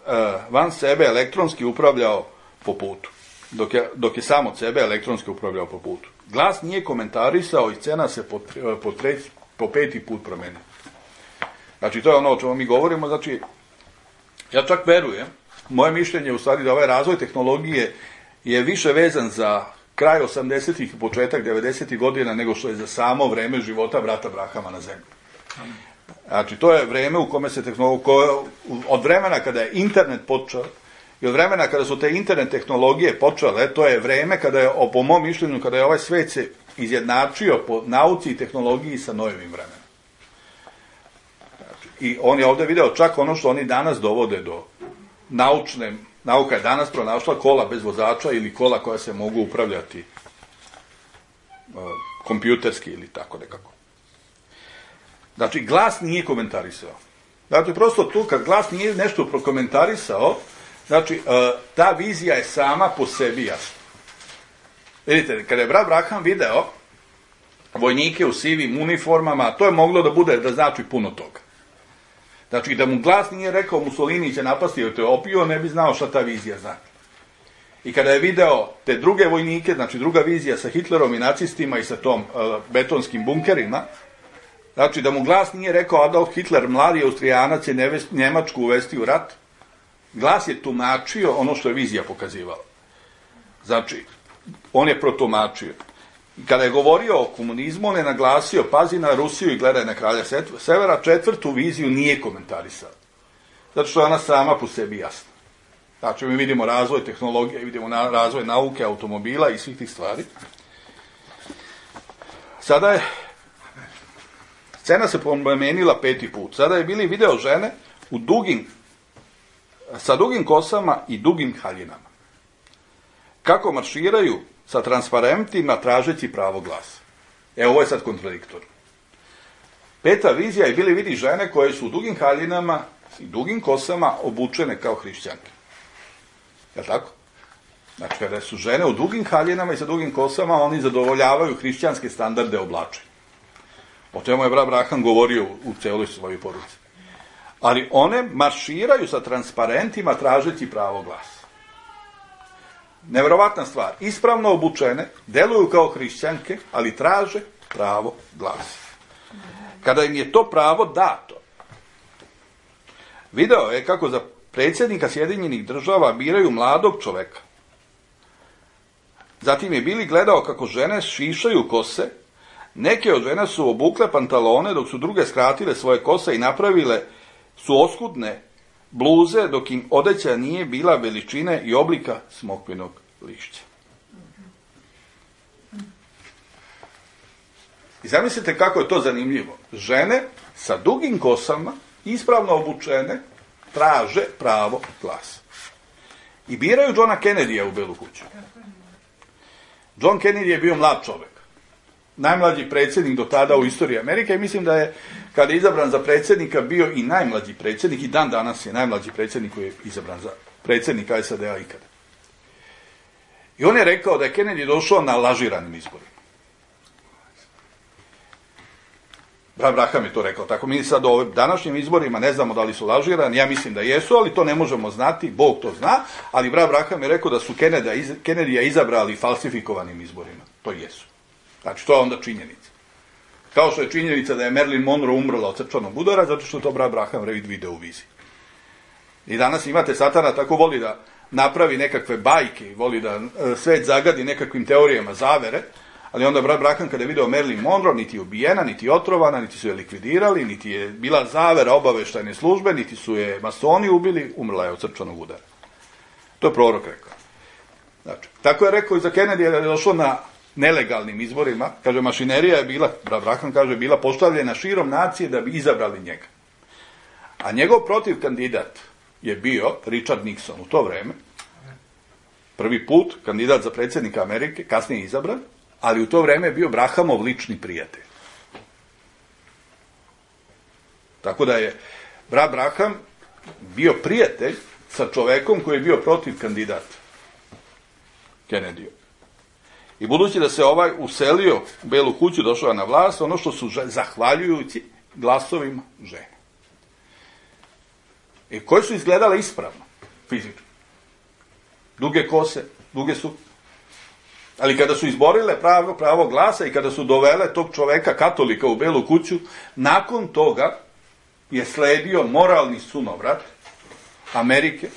van sebe elektronski upravljao po putu. Dok je, dok je sam od sebe elektronski upravljao po putu. Glas nije komentarisao i scena se po, po, tre, po peti put promenila. Znači, to je ono o čemu mi govorimo. Znači, ja čak verujem, moje mišljenje je u stvari da ovaj razvoj tehnologije je više vezan za kraj osamdesetih i početak devedesetih godina nego što je za samo vreme života brata Abrahama na zemlji. Znači, to je vreme u kome se tehnologija, od vremena kada je internet počeo i od vremena kada su te internet tehnologije počele, to je vreme kada je, po mom mišljenju, kada je ovaj svet se izjednačio po nauci i tehnologiji sa novim vremenom. Znači, i on je ovdje video čak ono što oni danas dovode do naučne. Nauka je danas pronašla kola bez vozača ili kola koja se mogu upravljati kompjuterski ili tako nekako. Znači, glas nije komentarisao. Znači, prosto tu, kad glas nije nešto prokomentarisao, znači, ta vizija je sama po sebi jasna. Vidite, kada je brat Braham video vojnike u sivim uniformama, to je moglo da bude, da znači puno toga. Znači, da mu glas nije rekao Mussolini će napasti Etiopiju, ne bi znao šta ta vizija znači. I kada je video te druge vojnike, znači druga vizija sa Hitlerom i nacistima i sa tom uh, betonskim bunkerima, znači da mu glas nije rekao Adolf Hitler, mladi Austrijanac, je Njemačku uvesti u rat, glas je tumačio ono što je vizija pokazivala. Znači, on je protumačio. I kada je govorio o komunizmu, on je naglasio, pazi na Rusiju i gledaj na kralja Severa, četvrtu viziju nije komentarisao. Zato što je ona sama po sebi jasna. Znači, mi vidimo razvoj tehnologije, vidimo na, razvoj nauke, automobila i svih tih stvari. Sada je, scena se promenila peti put. Sada je bili video žene u dugim, sa dugim kosama i dugim haljinama. Kako marširaju sa transparentima tražeći pravo glasa. E, ovo je sad kontradiktorno. Peta vizija je bili vidi žene koje su u dugim haljinama i dugim kosama obučene kao hrišćanke. Je li tako? Znači, kada su žene u dugim haljinama i sa dugim kosama, oni zadovoljavaju hrišćanske standarde oblačenja. O čemu je brat Braham govorio u celoj svojoj poruci. Ali one marširaju sa transparentima tražeći pravo glasa. Neverovatna stvar. Ispravno obučene, deluju kao hrišćanke, ali traže pravo glasa. Kada im je to pravo dato, video je kako za predsjednika Sjedinjenih država biraju mladog čoveka. Zatim je Bili gledao kako žene šišaju kose, neke od žena su obukle pantalone, dok su druge skratile svoje kose i napravile su oskudne bluze, dok im odeća nije bila veličine i oblika smokvinog lišća. I zamislite kako je to zanimljivo. Žene sa dugim kosama, ispravno obučene, traže pravo glasa. I biraju Johna Kennedyja u Belu kuću. John Kennedy je bio mlad čovjek. Najmlađi predsjednik do tada u istoriji Amerike i mislim da je, kada je izabran za predsjednika, bio i najmlađi predsjednik i dan danas je najmlađi predsjednik koji je izabran za predsjednika S A D-a ikada. I on je rekao da je Kennedy došao na lažiranim izborima. Brat Braham je to rekao. Tako mi sad o ovim današnjim izborima ne znamo da li su lažirani, ja mislim da jesu, ali to ne možemo znati, Bog to zna, ali brat Braham je rekao da su Kennedyja izabrali falsifikovanim izborima. To jesu. Znači, to je onda činjenica. Kao što je činjenica da je Marilyn Monroe umrla od srčanog udara, zato što to brat Braham video u viziji. I danas imate satana tako voli da napravi nekakve bajke, voli da svet zagadi nekakvim teorijama zavere, ali onda brat Braham kada je video Marilyn Monroe, niti je ubijena, niti je otrovana, niti su je likvidirali, niti je bila zavera obaveštajne službe, niti su je masoni ubili, umrla je od srčanog udara. To je prorok rekao. Znači, tako je rekao i za Kennedy, jer je došlo na nelegalnim izborima, kaže, mašinerija je bila, brat Braham kaže, bila postavljena širom nacije da bi izabrali njega. A njegov protiv kandidat je bio Richard Nixon u to vreme, prvi put kandidat za predsjednika Amerike, kasnije izabran, ali u to vreme je bio Brahamov lični prijatelj. Tako da je brat Braham bio prijatelj sa čovekom koji je bio protiv kandidat Kennedyju. I budući da se ovaj uselio u Belu kuću, došao na vlast, ono što su zahvaljujući glasovima žene. I koje su izgledale ispravno, fizički. Duge kose, duge su. Ali kada su izborile pravo, pravo glasa i kada su dovele tog čoveka, katolika, u Belu kuću, nakon toga je sledio moralni sunovrat Amerike,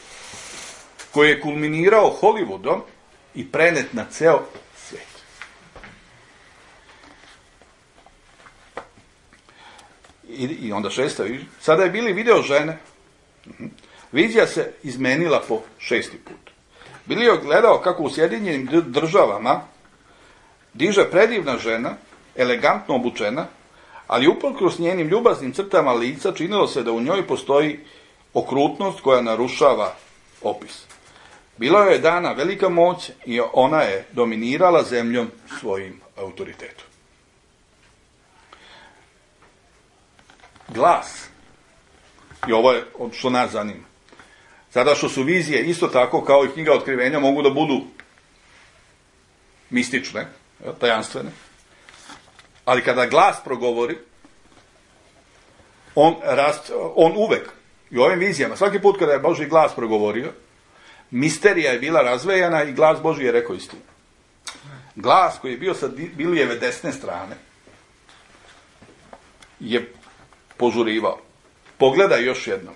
koji je kulminirao Hollywoodom i prenet na ceo svijet. I, i onda šesta vizija. Sada je bili video žene. Vizija se izmenila po šesti put. Bili je gledao kako u Sjedinjenim državama diže predivna žena, elegantno obučena, ali uprkos njenim ljubaznim crtama lica činilo se da u njoj postoji okrutnost koja narušava opis. Bila joj je dana velika moć i ona je dominirala zemljom svojim autoritetu. Glas, i ovo je što nas zanima, sada što su vizije isto tako kao i knjiga otkrivenja mogu da budu mistične, tajanstvene, ali kada glas progovori, on, rast, on uvek, i u ovim vizijama, svaki put kada je Božji glas progovorio, misterija je bila razvejana i glas Božji je rekao istinu. Glas koji je bio sa Bilijeve desne strane je požurivao. Pogledaj još jednom.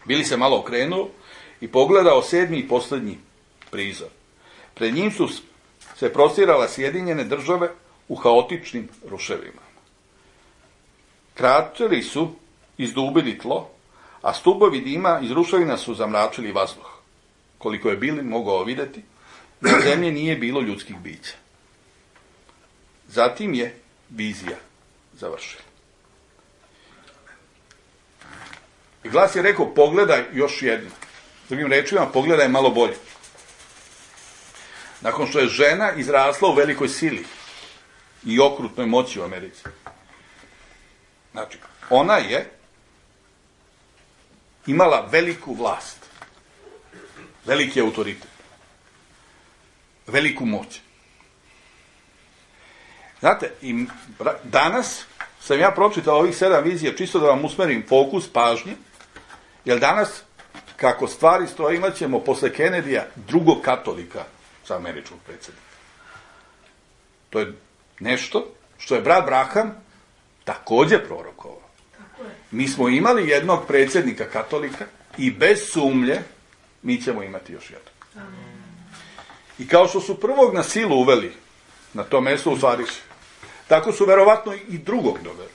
Bili se malo okrenuo i pogledao sedmi i posljednji prizor. Pred njim su se prostirala Sjedinjene države u haotičnim ruševima. Kračeli su izdubili tlo, a stubovi dima iz ruševina su zamračili vazduh. Koliko je Bili mogao vidjeti, na zemlji nije bilo ljudskih bića. Zatim je vizija završila. I glas je rekao, pogledaj još jedno. Drugim rečima, pogledaj malo bolje. Nakon što je žena izrasla u velikoj sili i okrutnoj moći u Americi. Znači, ona je imala veliku vlast, veliki autoritet, veliku moć. Znate, i danas sam ja pročitao ovih sedam vizija čisto da vam usmerim fokus pažnje, jer danas, kako stvari stoje, imat ćemo posle Kennedyja drugog katolika za američkog predsjednika. To je nešto što je brat Braham također prorokovao. Mi smo imali jednog predsjednika katolika i bez sumnje mi ćemo imati još jednog. I kao što su prvog na silu uveli na to mesto u stvari, tako su verovatno i drugog doveli.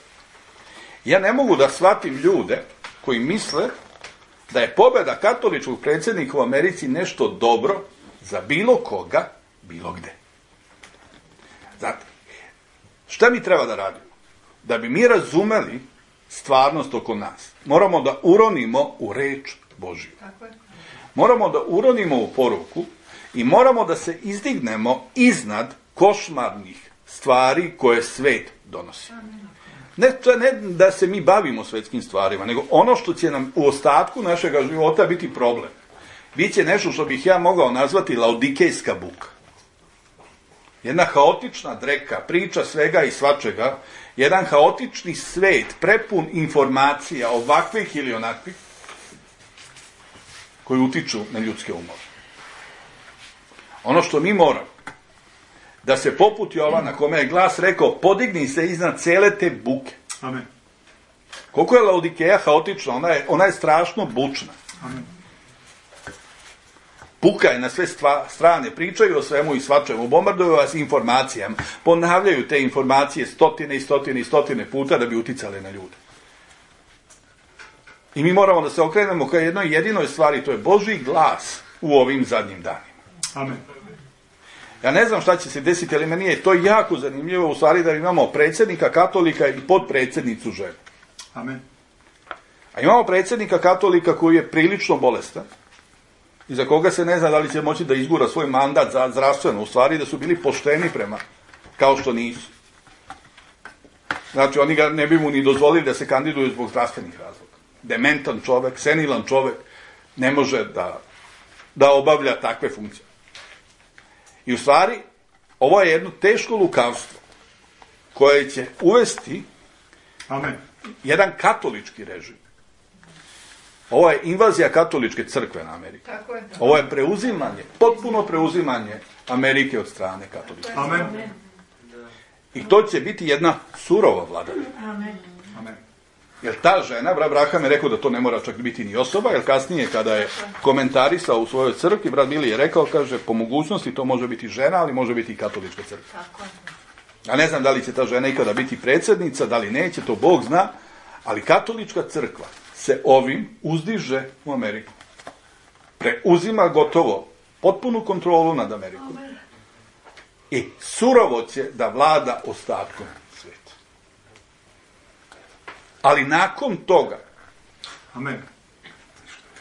Ja ne mogu da shvatim ljude koji misle da je pobjeda katoličkog predsjednika u Americi nešto dobro za bilo koga, bilo gde. Znate, šta mi treba da radimo? Da bi mi razumeli stvarnost oko nas, moramo da uronimo u reč Božju. Moramo da uronimo u poruku i moramo da se izdignemo iznad košmarnih stvari koje svet donosi. Ne, ne da se mi bavimo svetskim stvarima, nego ono što će nam u ostatku našega života biti problem. Biće nešto što bih ja mogao nazvati laodikejska buka. Jedna haotična dreka, priča svega i svačega, jedan haotični svet, prepun informacija, ovakvih ili onakvih, koji utiču na ljudske umove. Ono što mi moramo, da se poput Jovana, kome je glas rekao, podigni se iznad cele te buke. Amen. Koliko je Laodikeja haotična, ona je, ona je strašno bučna. Amen. Buka je na sve stva, strane, pričaju o svemu i svačemu, bombarduju vas informacijama, ponavljaju te informacije stotine i stotine i stotine puta da bi uticale na ljude. I mi moramo da se okrenemo ka jednoj jedinoj stvari, to je Božji glas u ovim zadnjim danima. Amen. Ja ne znam šta će se desiti, ali meni je to jako zanimljivo u stvari da imamo predsjednika katolika i podpredsjednicu ženu. Amen. A imamo predsjednika katolika koji je prilično bolestan i za koga se ne zna da li će moći da izgura svoj mandat za zdravstveno, u stvari da su bili pošteni prema, kao što nisu. Znači, oni ga ne bi mu ni dozvolili da se kandiduju zbog zdravstvenih razloga. Dementan čovek, senilan čovek, ne može da, da obavlja takve funkcije. I u stvari, ovo je jedno teško lukavstvo koje će uvesti Amen. jedan katolički režim. Ovo je invazija katoličke crkve na Ameriku. Tako je. Ovo je preuzimanje, potpuno preuzimanje Amerike od strane katoličke. Amen. I to će biti jedna surova vladavina. Amen. Amen. Jer ta žena, brat Braham je rekao da to ne mora čak biti ni osoba, jer kasnije kada je komentarisao u svojoj crkvi, brat Bili je rekao, kaže, po mogućnosti to može biti žena, ali može biti i katolička crkva. Tako je. Ja ne znam da li će ta žena ikada biti predsjednica, da li neće, to Bog zna, ali katolička crkva se ovim uzdiže u Ameriku. Preuzima gotovo potpunu kontrolu nad Amerikom. I surovo će da vlada ostatkom svijeta. Ali nakon toga, Amen.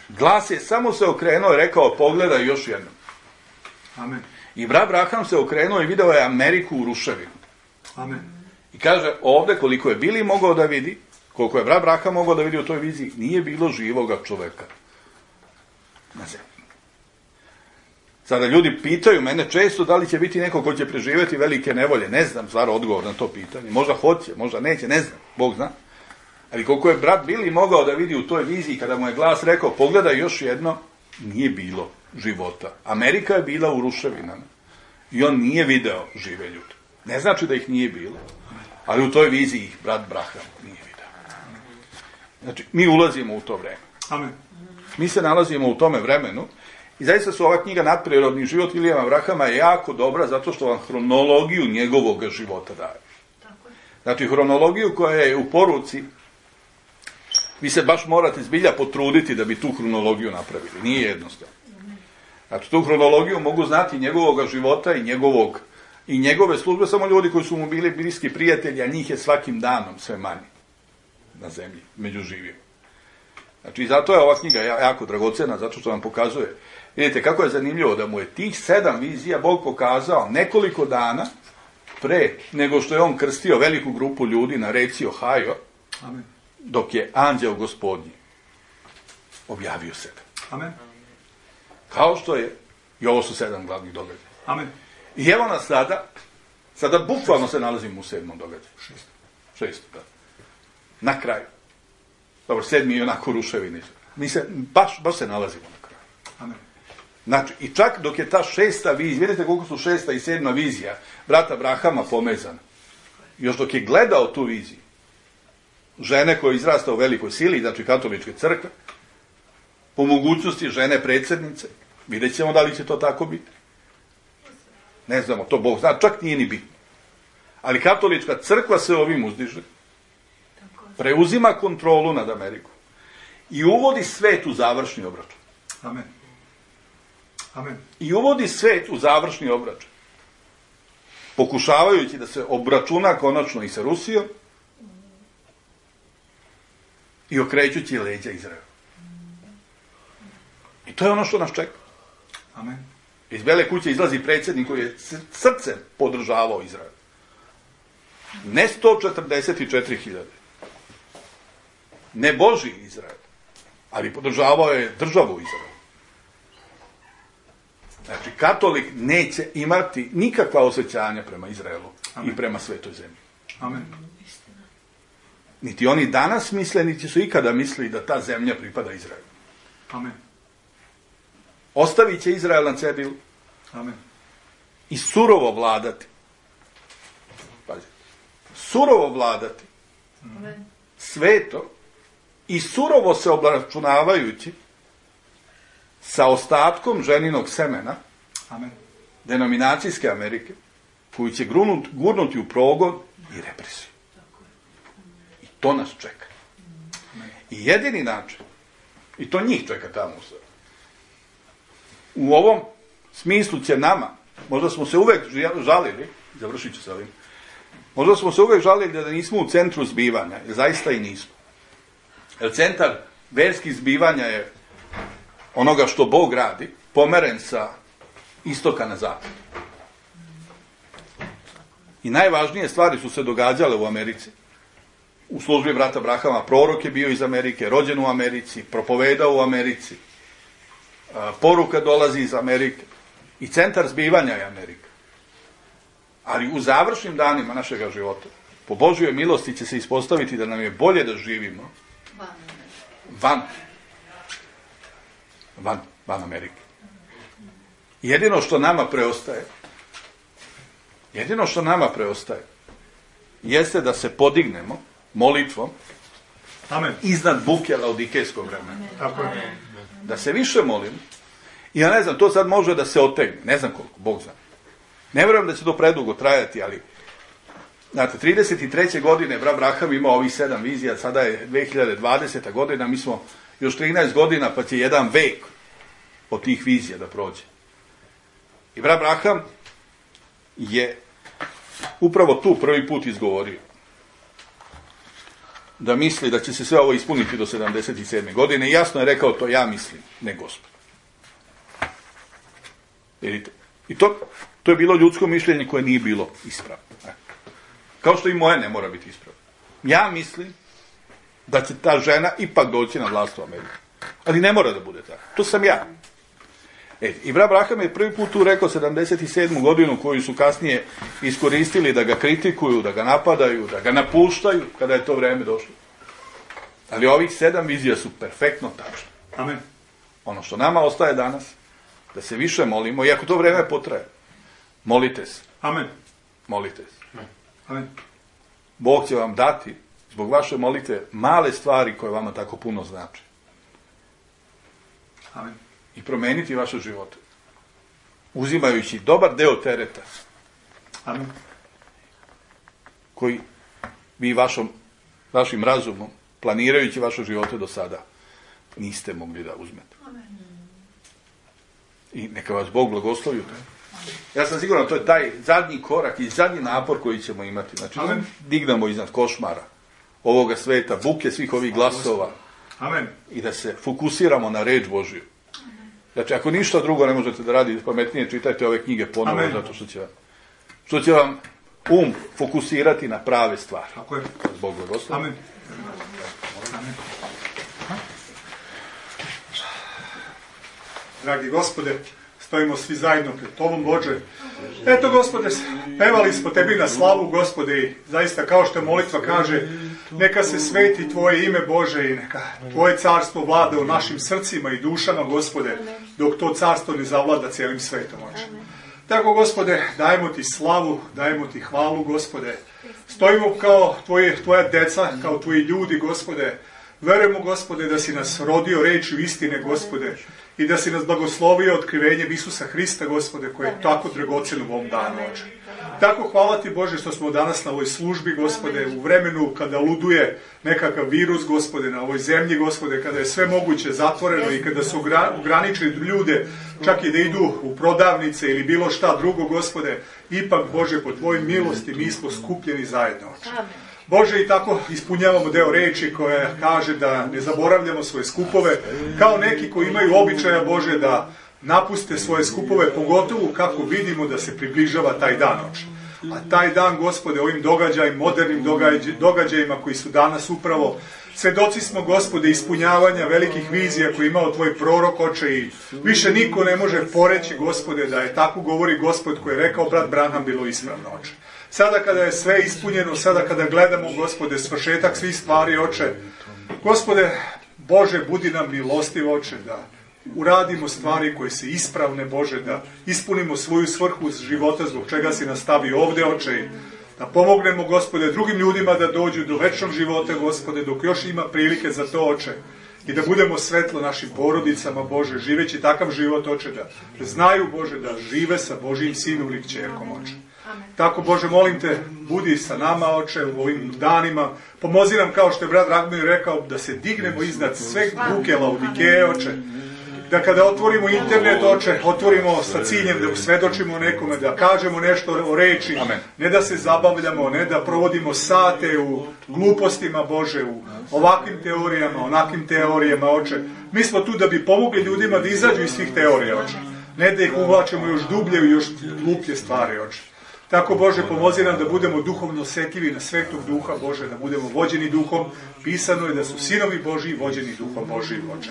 glas je samo se okrenuo i rekao, pogledaj još jednom. Amen. I brat Abraham se okrenuo i video je Ameriku u ruševinu. Amen. I kaže, ovde koliko je Bili mogao da vidi, koliko je brat Abraham mogao da vidi u toj viziji, nije bilo živoga čoveka na zemlji. Sada ljudi pitaju mene često da li će biti neko ko će preživjeti velike nevolje. Ne znam, stvar odgovor na to pitanje. Možda hoće, možda neće, ne znam, Bog zna. Ali koliko je brat Bili mogao da vidi u toj viziji, kada mu je glas rekao, pogledaj još jedno, nije bilo života. Amerika je bila u ruševinama i on nije video žive ljude. Ne znači da ih nije bilo, ali u toj viziji ih brat Abraham nije video. Znači, mi ulazimo u to vreme. Amen. Mi se nalazimo u tome vremenu i zaista su ova knjiga Nadprirodni život Vilijama Abrahama je jako dobra zato što vam hronologiju njegovog života daje. Znači, hronologiju koja je u poruci, vi se baš morate zbilja potruditi da bi tu hronologiju napravili. Nije jednostavno. Znači, tu hronologiju mogu znati njegovog života i njegovog i njegove službe, samo ljudi koji su mu bili bliski prijatelji, a njih je svakim danom sve manje na zemlji, među živima. Znači, i zato je ova knjiga jako dragocena, zato što vam pokazuje. Vidite, kako je zanimljivo da mu je tih sedam vizija Bog pokazao nekoliko dana pre nego što je on krstio veliku grupu ljudi na reci Ohio, Amen. dok je anđeo gospodnji objavio sebe. Amen. Kao što je, i ovo su sedam glavnih događaja. Amen. I evo nas sada, sada bukvalno se nalazimo u sedmom događaju. Šest. Šesto, da. Na kraju. Dobro, sedmi je onako ruševini. Mi se, baš, baš se nalazimo na kraju. Amen. Znači, i čak dok je ta šesta vizija, vidite koliko su šesta i sedma vizija brata Abrahama pomezana. Još dok je gledao tu viziju, žene koja je izrasta u velikoj sili, znači katoličke crkve, po mogućnosti žene predsjednice, vidjet ćemo da li će to tako biti. Ne znamo, to Bog zna, čak nije ni bitno. Ali katolička crkva se ovim uzdiže, preuzima kontrolu nad Amerikom i uvodi svet u završni obračun. Amen. Amen. I uvodi svet u završni obračun. Pokušavajući da se obračuna konačno i sa Rusijom i okrećući leđa Izraela. I to je ono što nas čeka. Amen. Iz Bele kuće izlazi predsjednik koji je srcem podržavao Izrael. Ne sto četrdeset četiri hiljade. Ne Boži Izrael. Ali podržavao je državu Izrael. Znači, katolik neće imati nikakva osjećanja prema Izraelu. Amen. I prema svetoj zemlji. Amen. Niti oni danas misle, niti su ikada mislili da ta zemlja pripada Izraelu. Amen. Ostavit će Izrael na cedilu. Amen. I surovo vladati. Pazi. Surovo vladati. Amen. Sveto i surovo se obračunavajući sa ostatkom ženinog semena, Amen. denominacijske Amerike, koju će grunut, gurnuti u progon i represiju. I to nas čeka. Amen. I jedini način, i to njih čeka tamo u sve. U ovom smislu će nama, možda smo se uvek žalili, završit ću sa ovim, možda smo se uvek žalili da nismo u centru zbivanja, jer zaista i nismo. Jer centar verskih zbivanja je onoga što Bog radi, pomeren sa istoka na zapad. I najvažnije stvari su se događale u Americi. U službi brata Abrahama prorok je bio iz Amerike, rođen u Americi, propovedao u Americi. Poruka dolazi iz Amerike. I centar zbivanja je Amerika. Ali u završnim danima našega života, po Božjoj milosti će se ispostaviti da nam je bolje da živimo van. Van, van Amerike. Jedino što nama preostaje, jedino što nama preostaje, jeste da se podignemo molitvom Amen. Iznad buke laodikejskog vremena. Tako je. Da se više molimo. I ja ne znam, to sad može da se otegne. Ne znam koliko, Bog zna. Ne vjerujem da će to predugo trajati, ali znate, trideset treće godine brat Abraham imao ovih sedam vizija, sada je dve hiljade dvadeseta godina, mi smo još trinaest godina, pa će jedan vek od tih vizija da prođe. I brat Abraham je upravo tu prvi put izgovorio da misli da će se sve ovo ispuniti do sedamdeset sedme godine. I jasno je rekao, to ja mislim, ne Gospod. Vidite, I to, to je bilo ljudsko mišljenje koje nije bilo ispravno. Kao što i moje ne mora biti ispravno. Ja mislim da će ta žena ipak doći na vlast u Ameriku. Ali ne mora da bude tako. To sam ja. E, i brat Braham je prvi put tu rekao sedamdeset sedmu godinu koju su kasnije iskoristili da ga kritikuju, da ga napadaju, da ga napuštaju kada je to vreme došlo. Ali ovih sedam vizija su perfektno tačne. Amen. Ono što nama ostaje danas, da se više molimo, iako to vreme potraje, molite se. Amen. Molite se. Amen. Bog će vam dati, zbog vaše molitve, male stvari koje vama tako puno znači. Amen. I promeniti vaše živote. Uzimajući dobar deo tereta. Amen. Koji vi vašom, vašim razumom, planirajući vaše živote do sada, niste mogli da uzmete. Amen. I neka vas Bog blagoslovi u tome. Ja sam siguran, to je taj zadnji korak i zadnji napor koji ćemo imati. Znači, Amen. dignemo iznad košmara ovoga sveta, buke svih ovih glasova. Amen. I da se fokusiramo na reč Božju. Znači, ako ništa drugo ne možete da radite pametnije, čitajte ove knjige ponovo, Amen. zato što će vam, što će vam um fokusirati na prave stvari. Tako je. Bog blagoslovi. Amen. Amen. Dragi Gospode, stojimo svi zajedno pred Tobom, Bože. Eto, Gospode, pevali smo Tebi na slavu, Gospode, i zaista kao što molitva kaže, neka se sveti Tvoje ime, Bože, i neka Tvoje carstvo vlada u našim srcima i dušama, Gospode, dok to carstvo ne zavlada cijelim svetom, Bože. Tako, Gospode, dajemo Ti slavu, dajemo Ti hvalu, Gospode. Stojimo kao tvoje, Tvoja deca, kao Tvoji ljudi, Gospode. Verujemo, Gospode, da si nas rodio rečju istine, Gospode, i da si nas blagoslovio otkrivenjem Isusa Hrista, Gospode, koje je tako dragocjeno u ovom danu, Oče. Tako hvala Ti, Bože, što smo danas na ovoj službi, Gospode, u vremenu kada luduje nekakav virus, Gospode, na ovoj zemlji, Gospode, kada je sve moguće zatvoreno i kada su ograničili ljude čak i da idu u prodavnice ili bilo šta drugo, Gospode, ipak, Bože, po Tvojoj milosti mi smo skupljeni zajedno, Oče. Bože, i tako ispunjavamo deo reči koja kaže da ne zaboravljamo svoje skupove, kao neki koji imaju običaja, Bože, da napuste svoje skupove, pogotovo kako vidimo da se približava taj dan, Oče. A taj dan, Gospode, ovim događajima, modernim događajima koji su danas upravo, svedoci smo, Gospode, ispunjavanja velikih vizija koje je imao Tvoj prorok, Oče, i više niko ne može poreći, Gospode, da je tako govori Gospod koji je rekao brat Branham bilo ispravno, Oče. Sada kada je sve ispunjeno, sada kada gledamo, Gospode, svršetak svih stvari, Oče, Gospode, Bože, budi nam milostiv, Oče, da uradimo stvari koje se ispravne, Bože, da ispunimo svoju svrhu života zbog čega si nas stavio ovde, Oče, da pomognemo, Gospode, drugim ljudima da dođu do večnog života, Gospode, dok još ima prilike za to, Oče, i da budemo svetlo našim porodicama, Bože, živeći takav život, Oče, da znaju, Bože, da žive sa Božijim sinom ili kćerkom, Oče. Tako, Bože, molim Te, budi sa nama, Oče, u ovim danima. Pomozi nam, kao što je brat Dragomir rekao, da se dignemo iznad sve buke Laodikeje, Oče. Da kada otvorimo internet, Oče, otvorimo sa ciljem da usvedočimo nekome, da kažemo nešto o reči, Amen. Ne da se zabavljamo, ne da provodimo sate u glupostima, Bože, u ovakvim teorijama, onakvim teorijama, Oče. Mi smo tu da bi pomogli ljudima da izađu iz svih teorija, Oče. Ne da ih uvlačimo još dublje u još gluplje stvari, Oče. Tako, Bože, pomozi nam da budemo duhovno osjetljivi na Svetog Duha, Bože, da budemo vođeni Duhom. Pisano je da su sinovi Božji vođeni Duhom Božjim, Oče.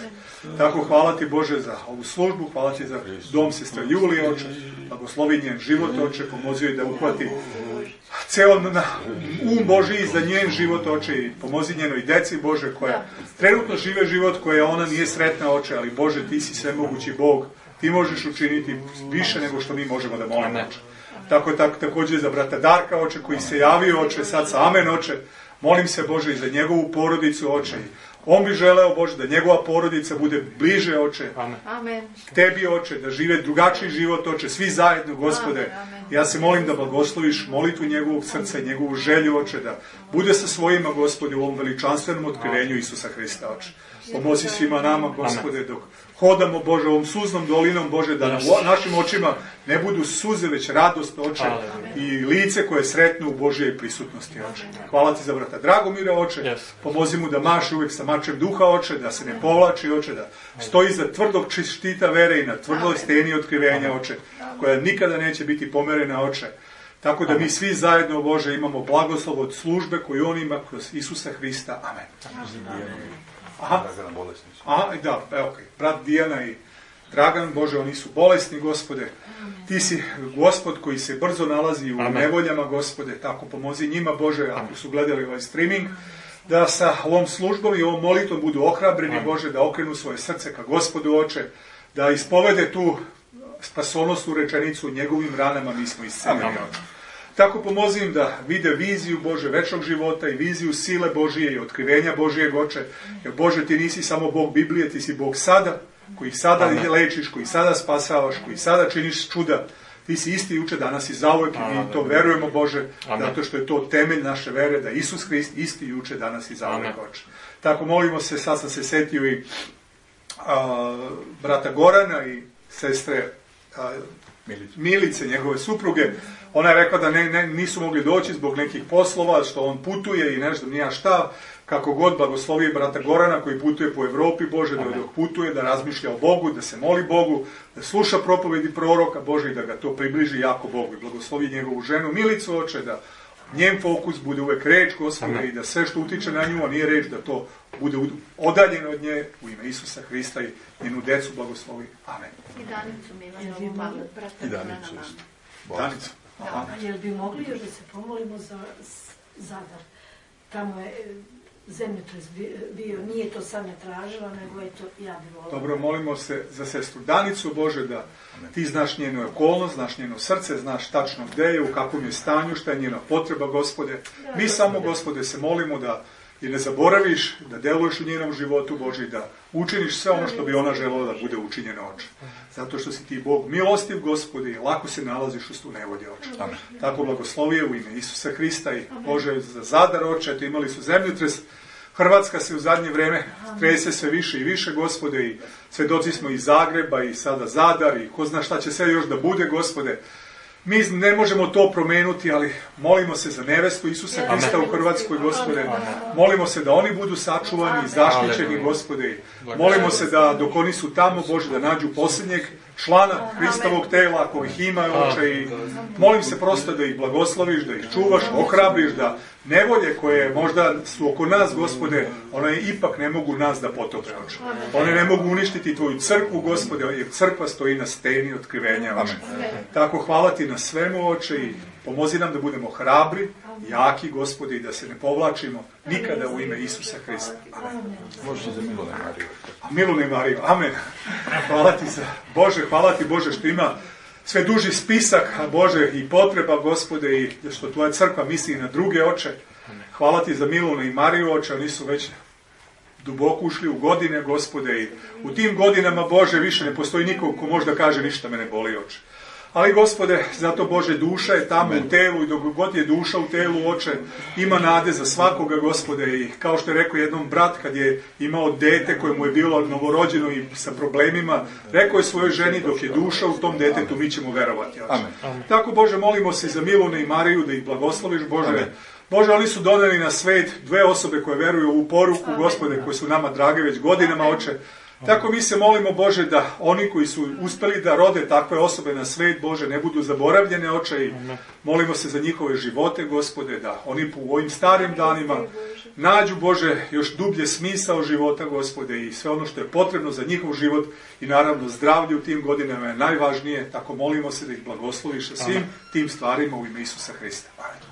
Tako, hvala Ti, Bože, za ovu službu, hvala Ti za dom sestre Julije, Oče. Blagoslovi njen život, Oče, pomozi joj da uhvati ceo na um Božji za njen život, Oče, i pomozi njenoj deci, Bože, koja trenutno žive život koja ona nije sretna, Oče, ali, Bože, Ti si svemogući Bog, Ti možeš učiniti više nego što mi možemo da molimo, Oče. Tako, tako također za brata Darka, Oče, koji se javio, Oče, sad sa amen, Oče. Molim se, Bože, i za njegovu porodicu, Oče. On bi želeo, Bože, da njegova porodica bude bliže, Oče, Amen. Tebi, Oče, da žive drugačiji život, Oče, svi zajedno, Gospode. Amen. Ja se molim da blagosloviš molitvu njegovog srca i njegovu želju, Oče, da bude sa svojima, Gospode, u ovom veličanstvenom otkrivenju Isusa Hrista, Oče. Pomozi svima nama, Gospode, dok hodamo, Bože, ovom suznom dolinom, Bože, da na našim očima ne budu suze, već radost, Oče, i lice koje sretnu u Božjoj prisutnosti, Oče. Hvala ti za brata Dragomira, Oče, pomozi mu da maše uvijek sa mačem duha, Oče, da se ne povlači, Oče, da stoji za tvrdog štita vere i na tvrdoj steni otkrivenja, Oče, koja nikada neće biti pomerena, Oče. Tako da mi svi zajedno, Bože, imamo blagoslov od službe koju on ima kroz Isusa Hrista. Amen. Aha. Aha, da, evo, okay. Brat Dijana i Dragan, Bože, oni su bolesni, Gospode. Ti si Gospod koji se brzo nalazi u Amen. Nevoljama, Gospode, tako pomozi njima, Bože, ako su gledali ovaj streaming, da sa ovom službom i ovom molitvom budu ohrabreni, Amen. Bože, da okrenu svoje srce ka Gospodu, Oče, da ispovede tu spasonosnu rečenicu, njegovim ranama mi smo isceljeni. Tako pomozi im da vide viziju Bože večnog života i viziju sile Božije i otkrivenja Božijeg, Oče. Jer Bože, ti nisi samo Bog Biblije, ti si Bog sada, koji sada Amen. Lečiš, koji sada spasavaš, koji sada činiš čuda. Ti si isti juče, danas i zauvek i mi to verujemo, Bože, Amen. Zato što je to temelj naše vere, da Isus Hrist isti juče, danas i zauvek, Oče. Tako molimo se, sad sam se setio i a, brata Gorana i sestre a, Milice, njegove supruge. Ona je rekla da ne, ne, nisu mogli doći zbog nekih poslova, što on putuje i ne znam nija šta. Kako god blagoslovi brata Gorana koji putuje po Evropi, Bože, da dok putuje, da razmišlja o Bogu, da se moli Bogu, da sluša propovedi proroka, Bože, i da ga to približi jako Bogu. I blagoslovi njegovu ženu Milicu, Oče, da njen fokus bude uvek reč, Gospode, Amen. I da sve što utiče na nju, a nije reč, da to bude odaljeno od nje, u ime Isusa Hrista i njenu decu blagoslovi. Amen. I Danicu Milanovu, brata Gorana mama. Danicu. Da, jel bi mogli još da se pomolimo za Zadar? Tamo je zemljotres bio, nije to sad ne tražila, nego je to ja bi volila. Dobro, molimo se za sestru Danicu, Bože, da ti znaš njenu okolnost, znaš njeno srce, znaš tačno gde je, u kakvom je stanju, šta je njena potreba, Gospode. Mi samo, Gospode, se molimo da i ne zaboraviš, da deluješ u njenom životu, Bože, da učiniš sve ono što bi ona želela da bude učinjeno, Oče. Zato što si ti Bog milostiv, Gospode, i lako se nalaziš u stu nevolje, Oče. Amen. Tako blagoslovije u ime Isusa Hrista i Bože za Zadar, Oče, eto imali su zemljotres. Hrvatska se u zadnje vreme trese sve više i više, Gospode, i svedoci smo iz Zagreba i sada Zadar i ko zna šta će sve još da bude, Gospode. Mi ne možemo to promenuti, ali molimo se za nevestu Isusa Hrista u Hrvatskoj, Gospode. Molimo se da oni budu sačuvani i zaštićeni, Gospode. Molimo se da dok oni su tamo, Bože, da nađu posljednjeg člana Hristovog tela, ako ih ima, Oče, i molim se prosto da ih blagosloviš, da ih čuvaš, ohrabriš, da nevolje koje možda su oko nas, Gospode, one ipak ne mogu nas da potope, Oče. One ne mogu uništiti tvoju crkvu, Gospode, jer crkva stoji na steni otkrivenja, Oče. Tako hvala ti na svemu, Oče, i pomozi nam da budemo hrabri, jaki, Gospode, i da se ne povlačimo nikada u ime Isusa Hrista. Amen. Možete za Milune Mariju. Milune Mariju, amen. Hvala ti za Bože, hvala ti, Bože, što ima sve duži spisak, Bože, i potreba, Gospode, i što tvoja crkva misli na druge, Oče. Hvala ti za Milune i Mariju, Oče, oni su već duboko ušli u godine, Gospode, i u tim godinama, Bože, više ne postoji nikog ko možda kaže ništa me ne boli, Oče. Ali, Gospode, zato, Bože, duša je tamo Amen. U telu i dok god je duša u telu, Oče, ima nade za svakoga, Gospode, i kao što je rekao jednom brat kad je imao dete koje mu je bilo novorođeno i sa problemima, rekao je svojoj ženi dok je duša u tom detetu, mi ćemo verovati, Oče. Amen. Tako, Bože, molimo se za Milune i Mariju da ih blagosloviš, Bože. Amen. Bože, oni su doneli na svet dve osobe koje veruju u poruku, Gospode, koje su nama drage već godinama, Oče. Tako mi se molimo, Bože, da oni koji su uspeli da rode takve osobe na svet, Bože, ne budu zaboravljene, Oče, i molimo se za njihove živote, Gospode, da oni u ovim starim danima nađu, Bože, još dublje smisao života, Gospode, i sve ono što je potrebno za njihov život i naravno zdravlje u tim godinama je najvažnije, tako molimo se da ih blagosloviš sa svim tim stvarima u ime Isusa Hrista. Amen.